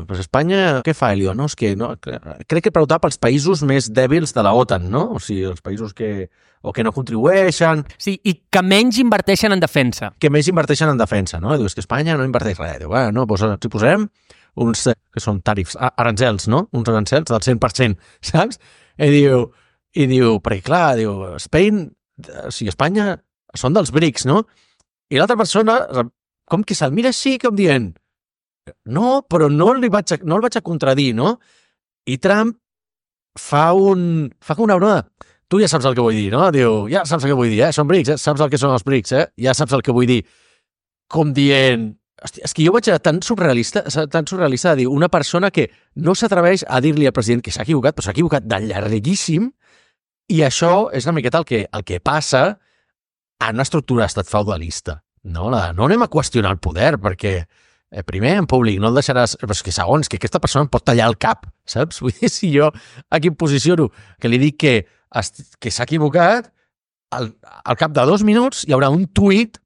però Espanya què fa? I li diu, no, és que no, crec que preguntava pels països més dèbils de la OTAN, no? O sigui, els països que, o que no contribueixen... Sí, i que menys inverteixen en defensa. Que menys inverteixen en defensa, no? I diu, és que Espanya no inverteix res. Diu, bueno, no, doncs si posem uns, que són tarifs, arancels, no? Uns arancels del cent per cent, saps? I diu, i diu perquè clar, diu, Spain, o sigui, Espanya són dels brics, no? I l'altra persona, com que se'l mira així, com dient, no, però no, li vaig a, no el vaig a contradir, no? I Trump fa un... fa com una broma. Tu ja saps el que vull dir, no? Diu, ja saps el que vull dir, eh? Són brics, eh? Saps el que són els brics, eh? Ja saps el que vull dir. Com dient... Hòstia, és que jo vaig a tan surrealista, tan surrealista de dir una persona que no s'atreveix a dir-li al president que s'ha equivocat, però s'ha equivocat de llarguíssim, i això és una miqueta el que, el que passa en una estructura d'estat feudalista. No, la, no anem a qüestionar el poder, perquè eh, primer, en públic, no el deixaràs... Però és que segons, que aquesta persona em pot tallar el cap, saps? Vull dir, si jo aquí em posiciono, que li dic que, que s'ha equivocat, al, al cap de dos minuts hi haurà un tuit.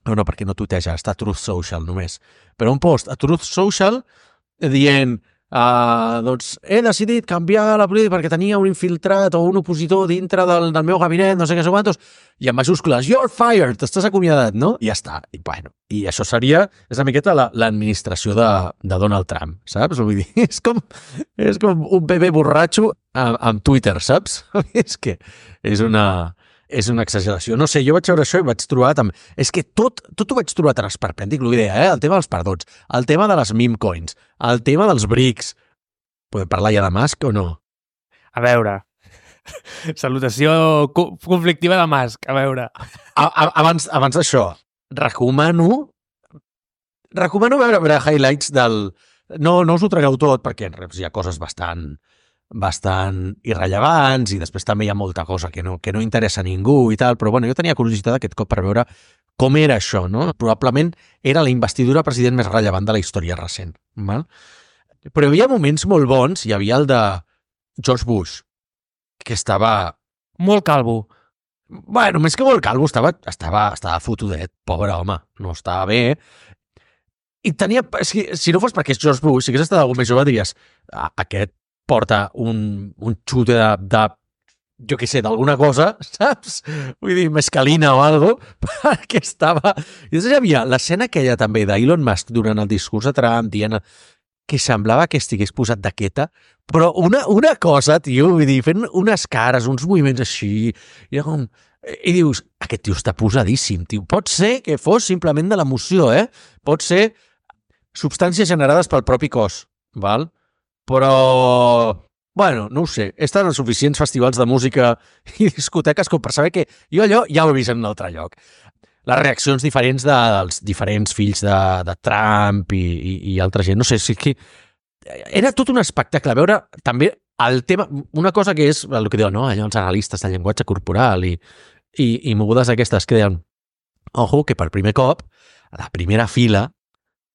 No, no, perquè no tuiteja, està a Truth Social només. Però un post a Truth Social dient uh, doncs he decidit canviar la política perquè tenia un infiltrat o un opositor dintre del, del meu gabinet, no sé què, no sé quantos, i en majúscules, you're fired, t'estàs acomiadat, no? I ja està. I, bueno, i això seria, és una miqueta l'administració de, de Donald Trump, saps? Vull dir, és com, és com un bebè borratxo amb, amb Twitter, saps? És que és una... és una exageració. No sé, jo vaig veure això i vaig trobar també... És que tot, tot ho vaig trobar tan esperpèntic, l'idea, eh? El tema dels perdots, el tema de les meme coins, el tema dels brics. Podem parlar ja de Musk o no? A veure... Salutació conflictiva de Musk, a veure... A, a, abans abans d'això, recomano... Recomano veure, veure highlights del... No, no us ho tragueu tot, perquè hi ha coses bastant... bastant irrellevants i després també hi ha molta cosa que no, que no interessa a ningú i tal, però bueno, jo tenia curiositat aquest cop per veure com era això, no? Probablement era la investidura president més rellevant de la història recent, val? Però hi havia moments molt bons, hi havia el de George Bush, que estava... Molt calvo. Bueno, més que molt calvo, estava, estava, estava fotudet, pobre home, no estava bé. I tenia... Si, si no fos perquè és George Bush, si hagués estat algú més jove, diries aquest porta un, un xute de, de jo què sé, d'alguna cosa, saps? Vull dir, mescalina o algo, perquè estava... I després hi havia l'escena aquella també d'Elon Musk durant el discurs de Trump dient que semblava que estigués posat de queta, però una, una cosa, tio, vull dir, fent unes cares, uns moviments així, i, com... i dius, aquest tio està posadíssim, tio. Pot ser que fos simplement de l'emoció, eh? Pot ser substàncies generades pel propi cos, val? Però, bueno, no ho sé, he estat en suficients festivals de música i discoteques com per saber que jo allò ja ho he vist en un altre lloc. Les reaccions diferents de, dels diferents fills de, de Trump i, i, i altra gent, no sé, sí que era tot un espectacle. A veure, també el tema, una cosa que és el que diuen, no? Allò, els analistes de llenguatge corporal i, i, i mogudes aquestes que deien, ojo, que per primer cop, a la primera fila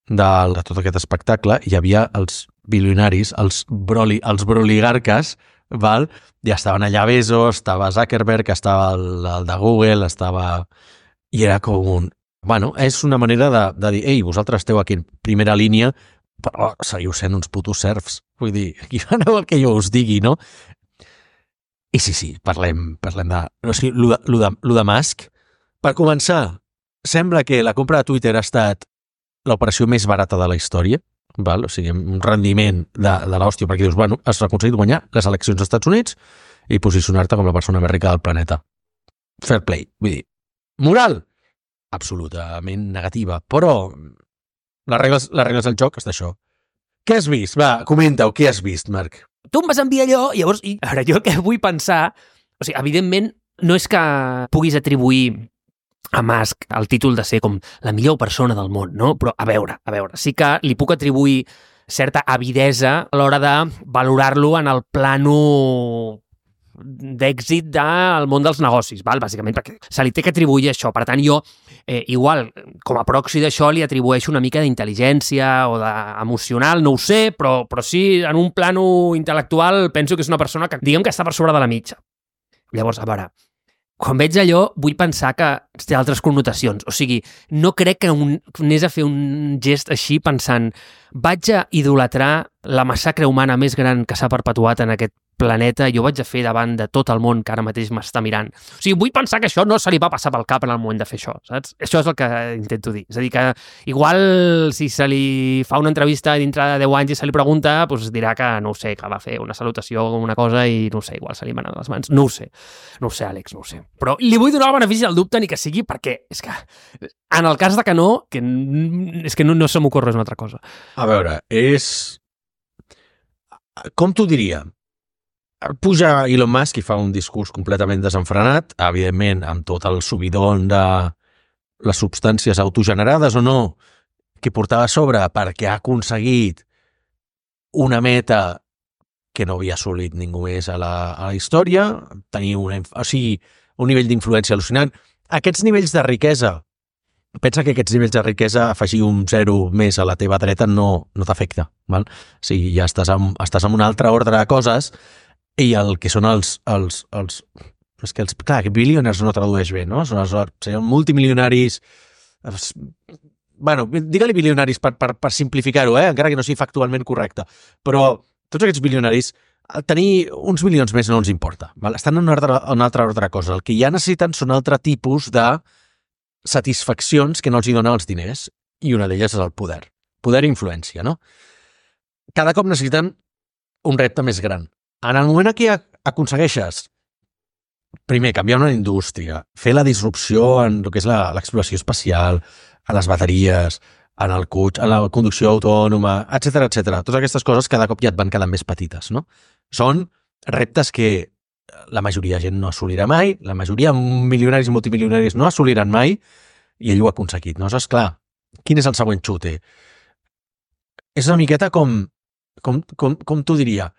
de, de tot aquest espectacle hi havia els bilionaris, els, broli, els broligarques, val? Ja estaven allà Bezos, estava Zuckerberg, estava el, el de Google, estava... I era com un... Bueno, és una manera de, de dir, ei, vosaltres esteu aquí en primera línia, però seguiu sent uns putos serfs. Vull dir, aquí aneu el que jo us digui, no? I sí, sí, parlem, parlem de... O sigui, lo de, lo de, lo de Musk, per començar, sembla que la compra de Twitter ha estat l'operació més barata de la història, val? O sigui, un rendiment de, de l'hòstia, perquè dius, bueno, has aconseguit guanyar les eleccions als Estats Units i posicionar-te com la persona més rica del planeta. Fair play. Vull dir, moral, absolutament negativa, però les regles, les regles del joc és d'això. Què has vist? Va, comenta-ho, què has vist, Marc? Tu em vas enviar allò, i llavors, i, ara, jo el que vull pensar, o sigui, evidentment, no és que puguis atribuir a Musk el títol de ser com la millor persona del món, no? Però a veure, a veure, sí que li puc atribuir certa avidesa a l'hora de valorar-lo en el plano d'èxit del món dels negocis, val? Bàsicament, perquè se li té que atribuir això. Per tant, jo, eh, igual, com a proxy d'això, li atribueixo una mica d'intel·ligència o d'emocional, no ho sé, però, però sí, en un plano intel·lectual penso que és una persona que, diguem que està per sobre de la mitja. Llavors, a veure, quan veig allò, vull pensar que té altres connotacions. O sigui, no crec que un, anés a fer un gest així pensant vaig a idolatrar la massacre humana més gran que s'ha perpetuat en aquest planeta i ho vaig a fer davant de tot el món que ara mateix m'està mirant. O sigui, vull pensar que això no se li va passar pel cap en el moment de fer això, saps? Això és el que intento dir. És a dir, que igual si se li fa una entrevista dintre de deu anys i se li pregunta, doncs dirà que, no ho sé, que va fer una salutació o una cosa i, no ho sé, igual se li manen les mans. No ho sé. No ho sé, Àlex, no ho sé. Però li vull donar el benefici del dubte ni que sigui perquè és que en el cas de que no, que és que no, no se m'ocorre una altra cosa. A veure, és... Com t'ho diria? puja Elon Musk i fa un discurs completament desenfrenat, evidentment amb tot el subidon de les substàncies autogenerades o no, que portava a sobre perquè ha aconseguit una meta que no havia assolit ningú més a la, a la història, tenir una, o sigui, un nivell d'influència al·lucinant. Aquests nivells de riquesa, pensa que aquests nivells de riquesa, afegir un zero més a la teva dreta no, no t'afecta. Val? O sigui, ja estàs en, estàs en un altre ordre de coses i el que són els... els, els és que els, clar, que billionaires no tradueix bé, no? Són els, serien multimilionaris... Bueno, digue-li bilionaris per, per, per simplificar-ho, eh? Encara que no sigui factualment correcte. Però tots aquests bilionaris, tenir uns milions més no ens importa. Val? Estan en un altre, un altre ordre de coses. El que ja necessiten són altre tipus de satisfaccions que no els hi donen els diners, i una d'elles és el poder. Poder i influència, no? Cada cop necessiten un repte més gran. En el moment en què aconsegueixes, primer, canviar una indústria, fer la disrupció en el que és l'exploració espacial, a les bateries, en el cotxe, en la conducció autònoma, etcètera, etcètera. Totes aquestes coses cada cop ja et van quedant més petites, no? Són reptes que la majoria de gent no assolirà mai, la majoria milionaris i multimilionaris no assoliran mai, i ell ho ha aconseguit, no? Saps, clar, quin és el següent xute? És una miqueta com, com, com, com t'ho diria,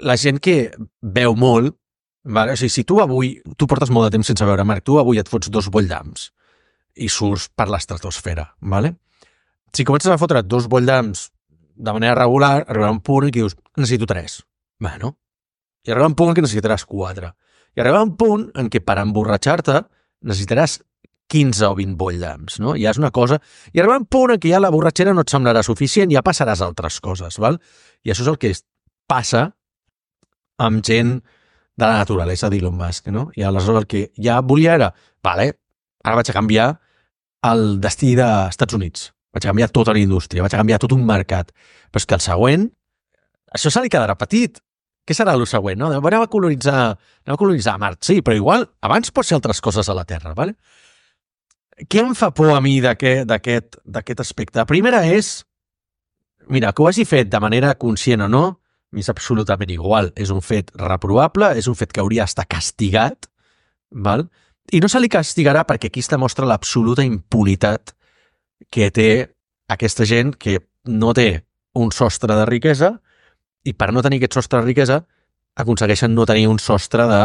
la gent que veu molt, vale? O sigui, si tu avui, tu portes molt de temps sense veure, Marc, tu avui et fots dos bolldams i surts per l'estratosfera, vale? Si comences a fotre dos bolldams de manera regular, arribarà un punt en què dius, necessito tres. Bueno, i arribarà un punt en què necessitaràs quatre. I arribarà un punt en què per emborratxar-te necessitaràs quinze o vint bolldams, no? Ja és una cosa... I arribarà un punt en què ja la borratxera no et semblarà suficient, ja passaràs a altres coses, val? I això és el que passa amb gent de la naturalesa d'Elon Musk, no? I aleshores el que ja volia era, vale, ara vaig a canviar el destí dels Estats Units, vaig a canviar tota la indústria, vaig a canviar tot un mercat, però és que el següent, això se li quedarà petit. Què serà el següent, no? Anem a colonitzar, anem a colonitzar Mart, sí, però igual abans pots fer altres coses a la Terra, vale? Què em fa por a mi d'aquest aspecte? La primera és, mira, que ho hagi fet de manera conscient o no, és absolutament igual. És un fet reprovable, és un fet que hauria d'estar castigat, val? I no se li castigarà perquè aquí es demostra l'absoluta impunitat que té aquesta gent que no té un sostre de riquesa i per no tenir aquest sostre de riquesa aconsegueixen no tenir un sostre de,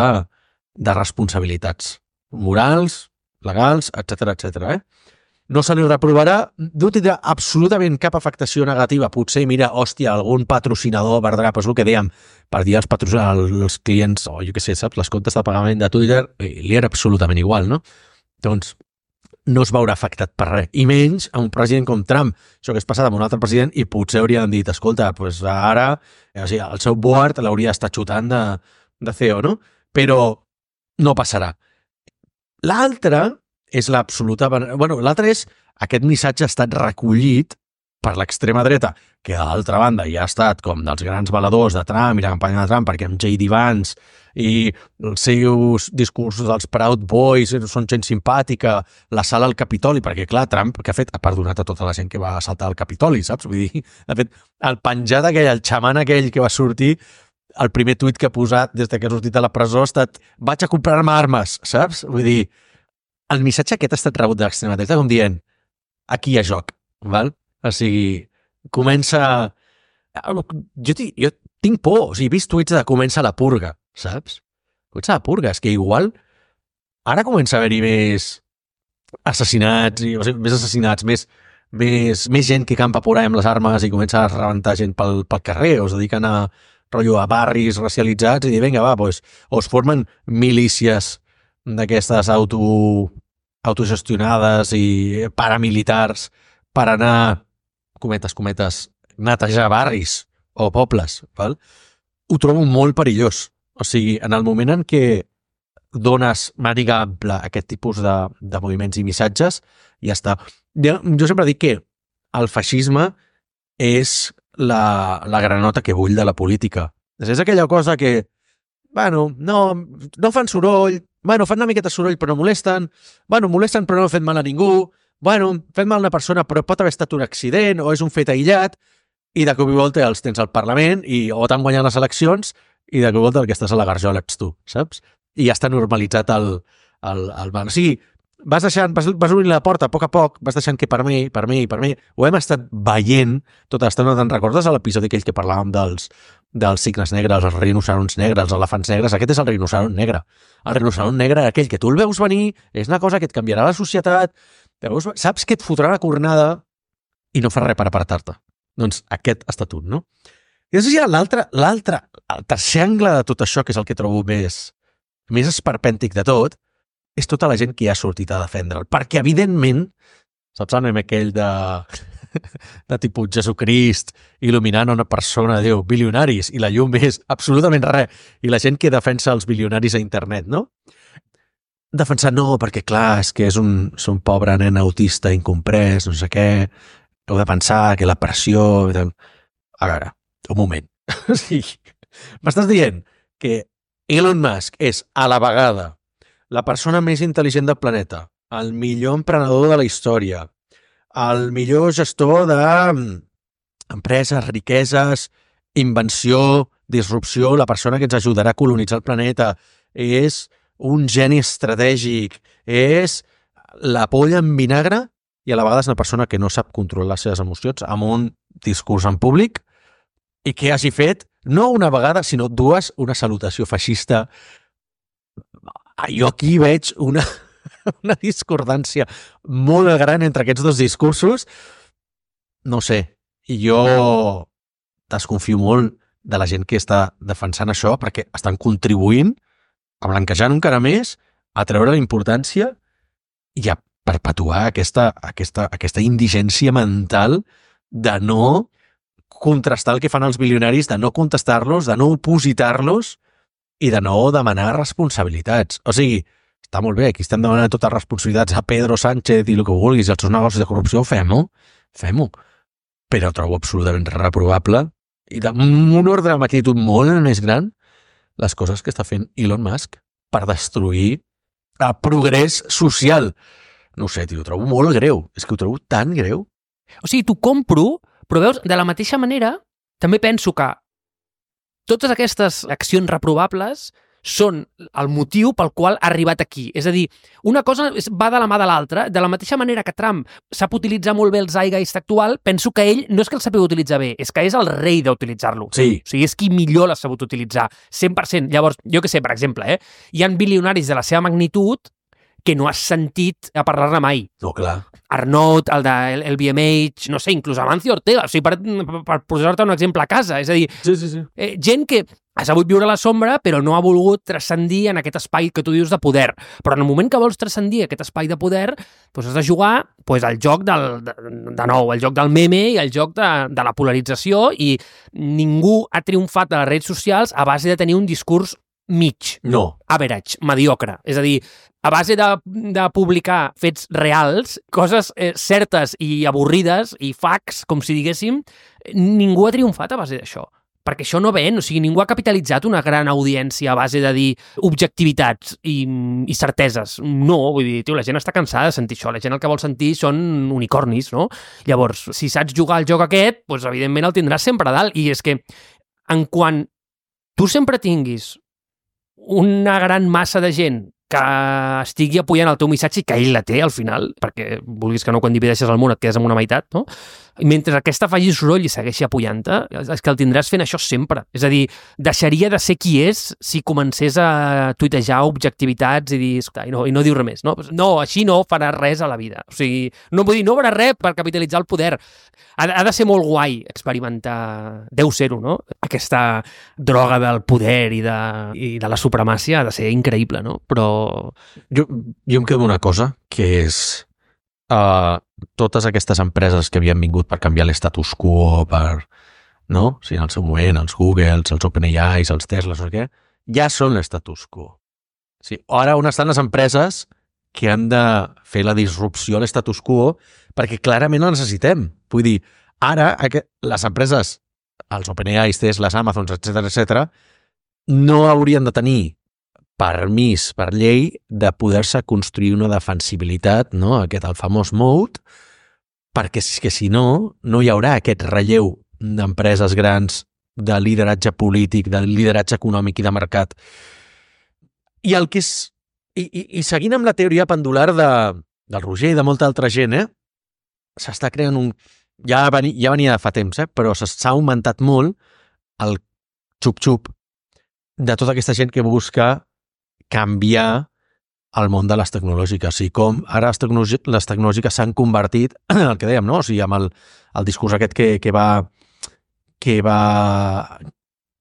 de responsabilitats morals, legals, etcètera, etcètera. Eh? No se li reprovarà, no tindrà absolutament cap afectació negativa. Potser, mira, hòstia, algun patrocinador perdrà, però és el que dèiem, per dir als patrocinadors, als clients, o jo què sé, saps, les comptes de pagament de Twitter, li era absolutament igual, no? Doncs no es veurà afectat per res. I menys a un president com Trump. Això que és passat amb un altre president i potser haurien dit, escolta, doncs ara, o sigui, el seu board l'hauria d'estar xutant de, de C E O, no? Però no passarà. L'altre és l'absoluta... Bueno, l'altre és aquest missatge ha estat recollit per l'extrema dreta, que d'altra banda ja ha estat com dels grans valedors de Trump i la campanya de Trump, perquè amb J D Vance i els seus discursos dels Proud Boys són gent simpàtica, la sala al Capitoli, perquè clar, Trump, que ha fet? Ha perdonat a tota la gent que va saltar al Capitoli, saps? Vull dir, de fet, el penjat aquell, el xaman aquell que va sortir, el primer tuit que ha posat des que ha sortit de la presó ha estat vaig a comprar-me armes, saps? Vull dir, el missatge aquest ha estat rebut de l'extrema dreta com dient aquí hi ha joc, val? O sigui, comença... Jo, jo tinc por, o sigui, he vist tuits de comença la purga, saps? Comença la purga, és que igual ara comença a haver-hi més assassinats, i, o sigui, més assassinats, més, més, més gent que campa por ahí amb les armes i comença a rebentar gent pel, pel carrer, o es dediquen a, rotllo, a barris racialitzats i dir, vinga, va, pues, o es formen milícies d'aquestes auto, autogestionades i paramilitars per anar, cometes, cometes, netejar barris o pobles, val? Ho trobo molt perillós. O sigui, en el moment en què dones màniga ampla a aquest tipus de, de moviments i missatges, ja està. Jo, jo sempre dic que el feixisme és la, la granota que bull de la política. És aquella cosa que, bueno, no, no fan soroll, bueno, fan una miqueta soroll però no molesten, bueno, molesten però no han fet mal a ningú, bueno, fet mal a una persona però pot haver estat un accident o és un fet aïllat, i de cop i volta els tens al Parlament i o t'han guanyat les eleccions i de cop el que estàs a la garjola ets tu, saps? I ja està normalitzat el, el, el banc. O sigui, vas deixant, vas, vas obrint la porta a poc a poc, vas deixant que per mi, per mi, per mi, ho hem estat veient tota l'estona. Te'n recordes a l'episodi aquell que parlàvem dels, dels cignes negres, els rinocerons negres, els elefants negres? Aquest és el rinoceron negre. El rinoceron negre, aquell que tu el veus venir, és una cosa que et canviarà la societat, veus, saps que et fotrà la cornada i no fa res per apartar-te. Doncs aquest ha estat un, no? I després hi ha l'altre, l'altre, el tercer angle de tot això, que és el que trobo més, més esperpèntic de tot, és tota la gent que hi ha sortit a defendre'l. Perquè, evidentment, saps el meme aquell de, de tipus Jesucrist il·luminant una persona, Déu, bilionaris, i la llum és absolutament res, i la gent que defensa els bilionaris a internet, no? Defensar no, perquè clar, és que és un, és un pobre nen autista incomprès, no sé què, heu de pensar que la pressió... A veure, un moment. O sigui, m'estàs dient que Elon Musk és a la vegada la persona més intel·ligent del planeta, el millor emprenedor de la història, el millor gestor d'empreses, riqueses, invenció, disrupció, la persona que ens ajudarà a colonitzar el planeta, és un geni estratègic, és la polla en vinagre i a la vegada és una persona que no sap controlar les seves emocions amb un discurs en públic i que hagi fet, no una vegada, sinó dues, una salutació feixista. Jo aquí veig una, una discordància molt gran entre aquests dos discursos. No sé, i jo desconfio molt de la gent que està defensant això perquè estan contribuint a blanquejar encara més, a treure la importància i a perpetuar aquesta, aquesta, aquesta indigència mental de no contrastar el que fan els bilionaris, de no contestar-los, de no opositar-los i de no demanar responsabilitats. O sigui, està molt bé, aquí estem demanant totes les responsabilitats a Pedro Sánchez i el que vulguis, els seus negocis de corrupció, fem-ho, fem-ho. Però trobo absolutament reprovable i d'un ordre de magnitud molt més gran les coses que està fent Elon Musk per destruir el progrés social. No ho sé, tio, ho trobo molt greu. És que ho trobo tan greu. O sigui, t'ho compro, però veus, de la mateixa manera, també penso que totes aquestes accions reprovables són el motiu pel qual ha arribat aquí. És a dir, una cosa va de la mà de l'altra. De la mateixa manera que Trump sap utilitzar molt bé el zeitgeist actual, penso que ell no és que el sàpiga utilitzar bé, és que és el rei d'utilitzar-lo. Sí. O sigui, és qui millor l'ha sabut utilitzar. cent per cent. Llavors, jo que sé, per exemple, eh, hi ha bilionaris de la seva magnitud que no has sentit a parlar-ne mai. No, clar. Arnaud, el del el B M H, no sé, inclús Amancio Ortega, o sigui, per, per, per posar-te un exemple a casa. És a dir, sí, sí, sí. Eh, gent que ha sabut viure a la sombra, però no ha volgut transcendir en aquest espai que tu dius de poder. Però en el moment que vols transcendir aquest espai de poder, doncs has de jugar doncs, el joc del, de, de nou, el joc del meme i el joc de, de la polarització, i ningú ha triomfat de les redes socials a base de tenir un discurs mig. No. Average, mediocre. És a dir, a base de, de publicar fets reals, coses eh, certes i avorrides, i facts, com si diguéssim, ningú ha triomfat a base d'això. Perquè això no ven, o sigui, ningú ha capitalitzat una gran audiència a base de dir objectivitats i, i certeses. No, vull dir, tio, la gent està cansada de sentir això, la gent el que vol sentir són unicornis, no? Llavors, si saps jugar al joc aquest, doncs evidentment el tindràs sempre a dalt, i és que en quan tu sempre tinguis una gran massa de gent que estigui apoyant el teu missatge i que ell la té al final, perquè vulguis que no, quan divideixes el món et quedes amb una meitat, no? I mentre aquesta faci soroll i segueixi apoyant-te, és que el tindràs fent això sempre. És a dir, deixaria de ser qui és si comencés a tuitejar objectivitats i dir, i no, i no diu res més, no? No, així no farà res a la vida. O sigui, no vull dir, no farà res per capitalitzar el poder. Ha, ha de ser molt guai experimentar, deu ser-ho, no? Aquesta droga del poder i de, i de la supremàcia ha de ser increïble, no? Però... Jo, jo em quedo una cosa, que és uh, totes aquestes empreses que havien vingut per canviar l'estatus quo, per, no? O sigui, en el seu moment, els Googles, els OpenAI, els Teslas, no sé què, ja són l'estatus quo. O sigui, ara on estan les empreses que han de fer la disrupció a l'estatus quo perquè clarament la necessitem. Vull dir, ara les empreses, els OpenAI, Teslas, Amazons, etcètera, etcètera, no haurien de tenir permís per llei de poder-se construir una defensibilitat, no? Aquest, el famós moat, perquè és que si no, no hi haurà aquest relleu d'empreses grans de lideratge polític, de lideratge econòmic i de mercat. I el que és... I, i, i seguint amb la teoria pendular de, del Roger i de molta altra gent, eh, s'està creant un... Ja, veni, ja venia de fa temps, eh, però s'ha augmentat molt el xup-xup de tota aquesta gent que busca canviar el món de les tecnològiques. O sigui, com ara les, tecnologi les tecnològiques s'han convertit en el que dèiem, no? O sigui, amb el, el discurs aquest que, que va que va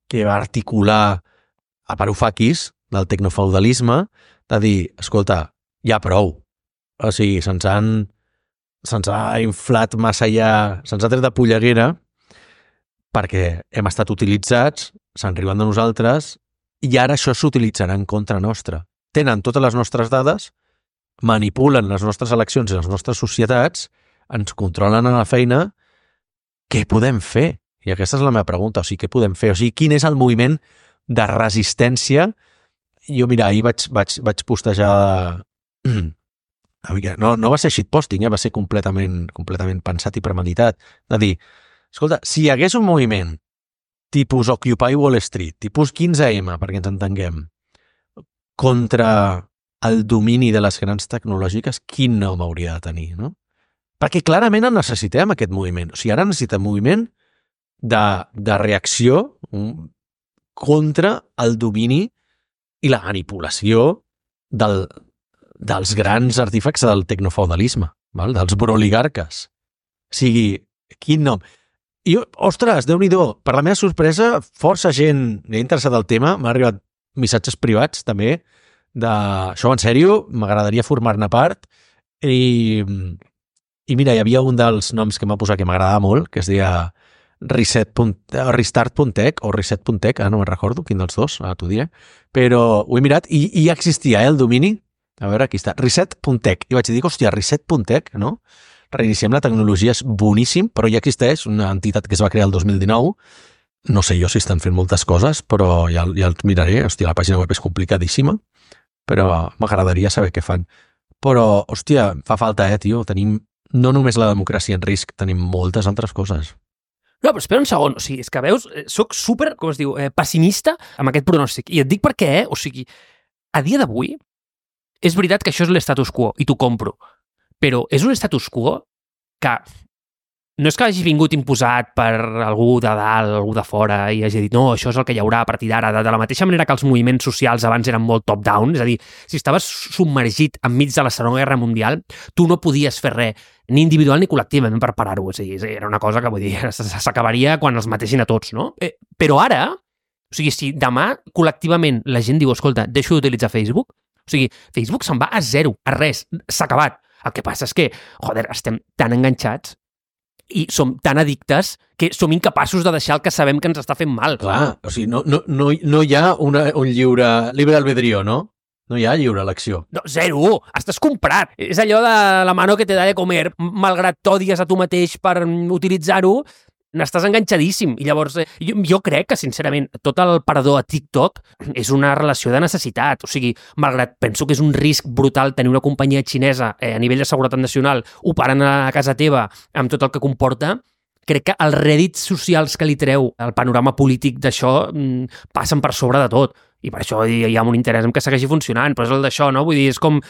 que va articular a Varoufakis del tecnofeudalisme, de dir, escolta, ja prou. O sigui, se'ns han se'ns ha inflat massa ja, se'ns ha tret de polleguera perquè hem estat utilitzats, se'n riuen de nosaltres, i ara això s'utilitzarà en contra nostra. Tenen totes les nostres dades, manipulen les nostres eleccions i les nostres societats, ens controlen a la feina, què podem fer? I aquesta és la meva pregunta, o sigui, què podem fer? O sigui, quin és el moviment de resistència? Jo, mira, ahir vaig, vaig, vaig postejar... No, no va ser shitposting, eh? Va ser completament, completament pensat i premeditat. De dir, escolta, si hi hagués un moviment tipus Occupy Wall Street, tipus quinze ema, perquè ens entenguem, contra el domini de les grans tecnològiques, quin nom hauria de tenir, no? Perquè clarament el necessitem, aquest moviment. O sigui, ara necessitem moviment de, de reacció um, contra el domini i la manipulació del, dels grans artefactes del tecnofeudalisme, val? Dels broligarques. O sigui, quin nom? I, ostres, Déu-n'hi-do, per la meva sorpresa, força gent m'ha interessat el tema, m'ha arribat missatges privats, també, de això en sèrio, m'agradaria formar-ne part, i, i mira, hi havia un dels noms que m'ha posat que m'agradava molt, que es deia reset restart punt tech o reset punt tech, ara no me'n recordo quin dels dos, ara t'ho diré, però ho he mirat i, i ja existia, eh, el domini. A veure, aquí està, reset punt tech. I vaig dir, hòstia, reset punt tech, no? Reiniciem la tecnologia, és boníssim, però ja existeix una entitat que es va crear el dos mil dinou. No sé jo si estan fent moltes coses, però ja, ja els miraré. Hòstia, la pàgina web és complicadíssima, però m'agradaria saber què fan. Però, hòstia, fa falta, eh, tio? Tenim no només la democràcia en risc, tenim moltes altres coses. No, però espera un segon, o sigui, és que veus, soc super, com es diu, eh, pessimista amb aquest pronòstic. I et dic per què, eh? O sigui, a dia d'avui, és veritat que això és l'estatus quo, i t'ho compro, però és un status quo que no és que hagi vingut imposat per algú de dalt, algú de fora, i hagi dit, no, això és el que hi haurà a partir d'ara, de, de la mateixa manera que els moviments socials abans eren molt top-down, és a dir, si estaves submergit enmig de la Segona Guerra Mundial, tu no podies fer res, ni individual ni col·lectivament per parar-ho, és a dir, era una cosa que, vull dir, s'acabaria quan els matessin a tots, no? Eh, però ara, o sigui, si demà col·lectivament la gent diu, escolta, deixo d'utilitzar Facebook, o sigui, Facebook se'n va a zero, a res, s'ha acabat. El que passa és que, joder, estem tan enganxats i som tan addictes que som incapaços de deixar el que sabem que ens està fent mal. Clar, o sigui, no, no, no, no hi ha una, un lliure, llibre albedrío, no? No hi ha lliure elecció. No, zero! Estàs comprat! És allò de la mano que te da de comer, malgrat t'odies a tu mateix per utilitzar-ho, n'estàs enganxadíssim. I llavors, eh, jo, jo crec que, sincerament, tot el parador a TikTok és una relació de necessitat. O sigui, malgrat penso que és un risc brutal tenir una companyia xinesa eh, a nivell de seguretat nacional operant a casa teva amb tot el que comporta, crec que els rèdits socials que li treu el panorama polític d'això mm, passen per sobre de tot. I per això hi ha un interès en que segueixi funcionant, però és el d'això, no? Vull dir, és com...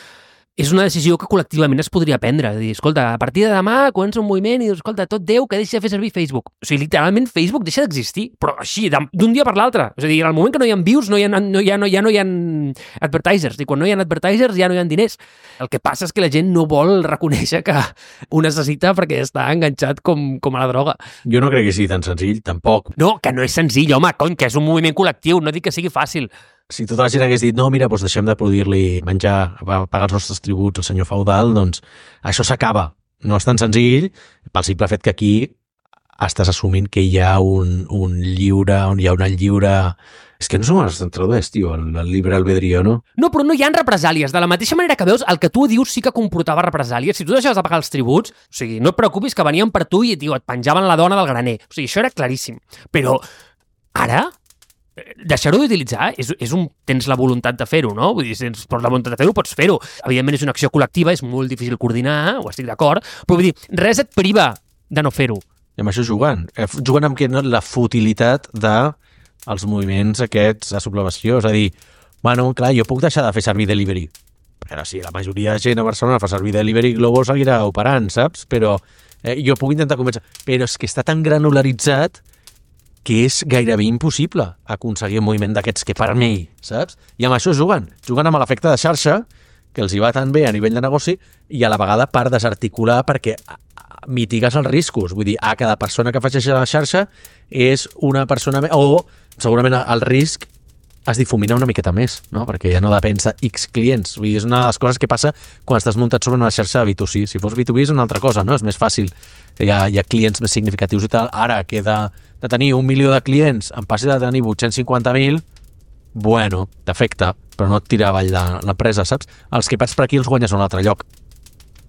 És una decisió que col·lectivament es podria prendre. De dir, escolta, a partir de demà comença un moviment i dius, escolta, tot Déu que deixi de fer servir Facebook. O sigui, literalment Facebook deixa d'existir, però així, d'un dia per l'altre. És a dir, en el moment que no hi ha views, no hi ha, no hi ha, no hi ha, no hi ha advertisers. I quan no hi ha advertisers ja no hi ha diners. El que passa és que la gent no vol reconèixer que ho necessita perquè està enganxat com, com a la droga. Jo no crec que sigui tan senzill, tampoc. No, que no és senzill, home, cony, que és un moviment col·lectiu, no dic que sigui fàcil. Si tota la gent hagués dit, no, mira, doncs deixem de produir-li menjar, pagar els nostres tributs al senyor feudal, doncs això s'acaba. No és tan senzill, pel simple fet que aquí estàs assumint que hi ha un, un lliure, on hi ha una lliure... És que no som els tradueix, tio, el, el llibre albedrío, no? No, però no hi ha represàlies. De la mateixa manera que veus, el que tu dius sí que comportava represàlies. Si tu deixaves de pagar els tributs, o sigui, no et preocupis que venien per tu i, tio, et penjaven la dona del graner. O sigui, això era claríssim. Però ara... deixar-ho d'utilitzar és, és un... tens la voluntat de fer-ho, no? Vull dir, si tens la voluntat de fer-ho, pots fer-ho. Evidentment és una acció col·lectiva, és molt difícil coordinar, ho estic d'acord, però vull dir, res et priva de no fer-ho. I amb això juguen. Eh, juguen amb que, no, la futilitat de els moviments aquests de sublevació. És a dir, bueno, clar, jo puc deixar de fer servir delivery. Però sí, la majoria de gent a Barcelona fa servir delivery, Glovo seguirà operant, saps? Però eh, jo puc intentar convèncer. Però és que està tan granularitzat que és gairebé impossible aconseguir un moviment d'aquests que per mi, saps? I amb això juguen. Juguen amb l'efecte de xarxa, que els hi va tan bé a nivell de negoci, i a la vegada per desarticular perquè mitigues els riscos. Vull dir, a cada persona que afegeix a la xarxa és una persona més, o segurament el risc es difumina una miqueta més, no? Perquè ja no depèn de X clients. Vull dir, és una de les coses que passa quan estàs muntat sobre una xarxa de B dos C. Si fos B dos B és una altra cosa, no? És més fàcil. Hi ha, hi ha clients més significatius i tal. Ara, que de, de tenir un milió de clients en passi de tenir vuit-cents cinquanta mil, bueno, t'afecta, però no et tira avall de l'empresa, saps? Els que pats per aquí els guanyes a un altre lloc,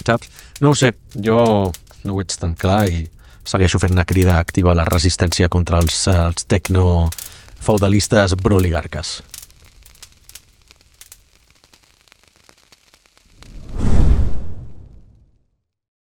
saps? No ho sé, jo no ho veig tan clar i segueixo fent una crida activa a la resistència contra els, els tecno feudalistes broligarques.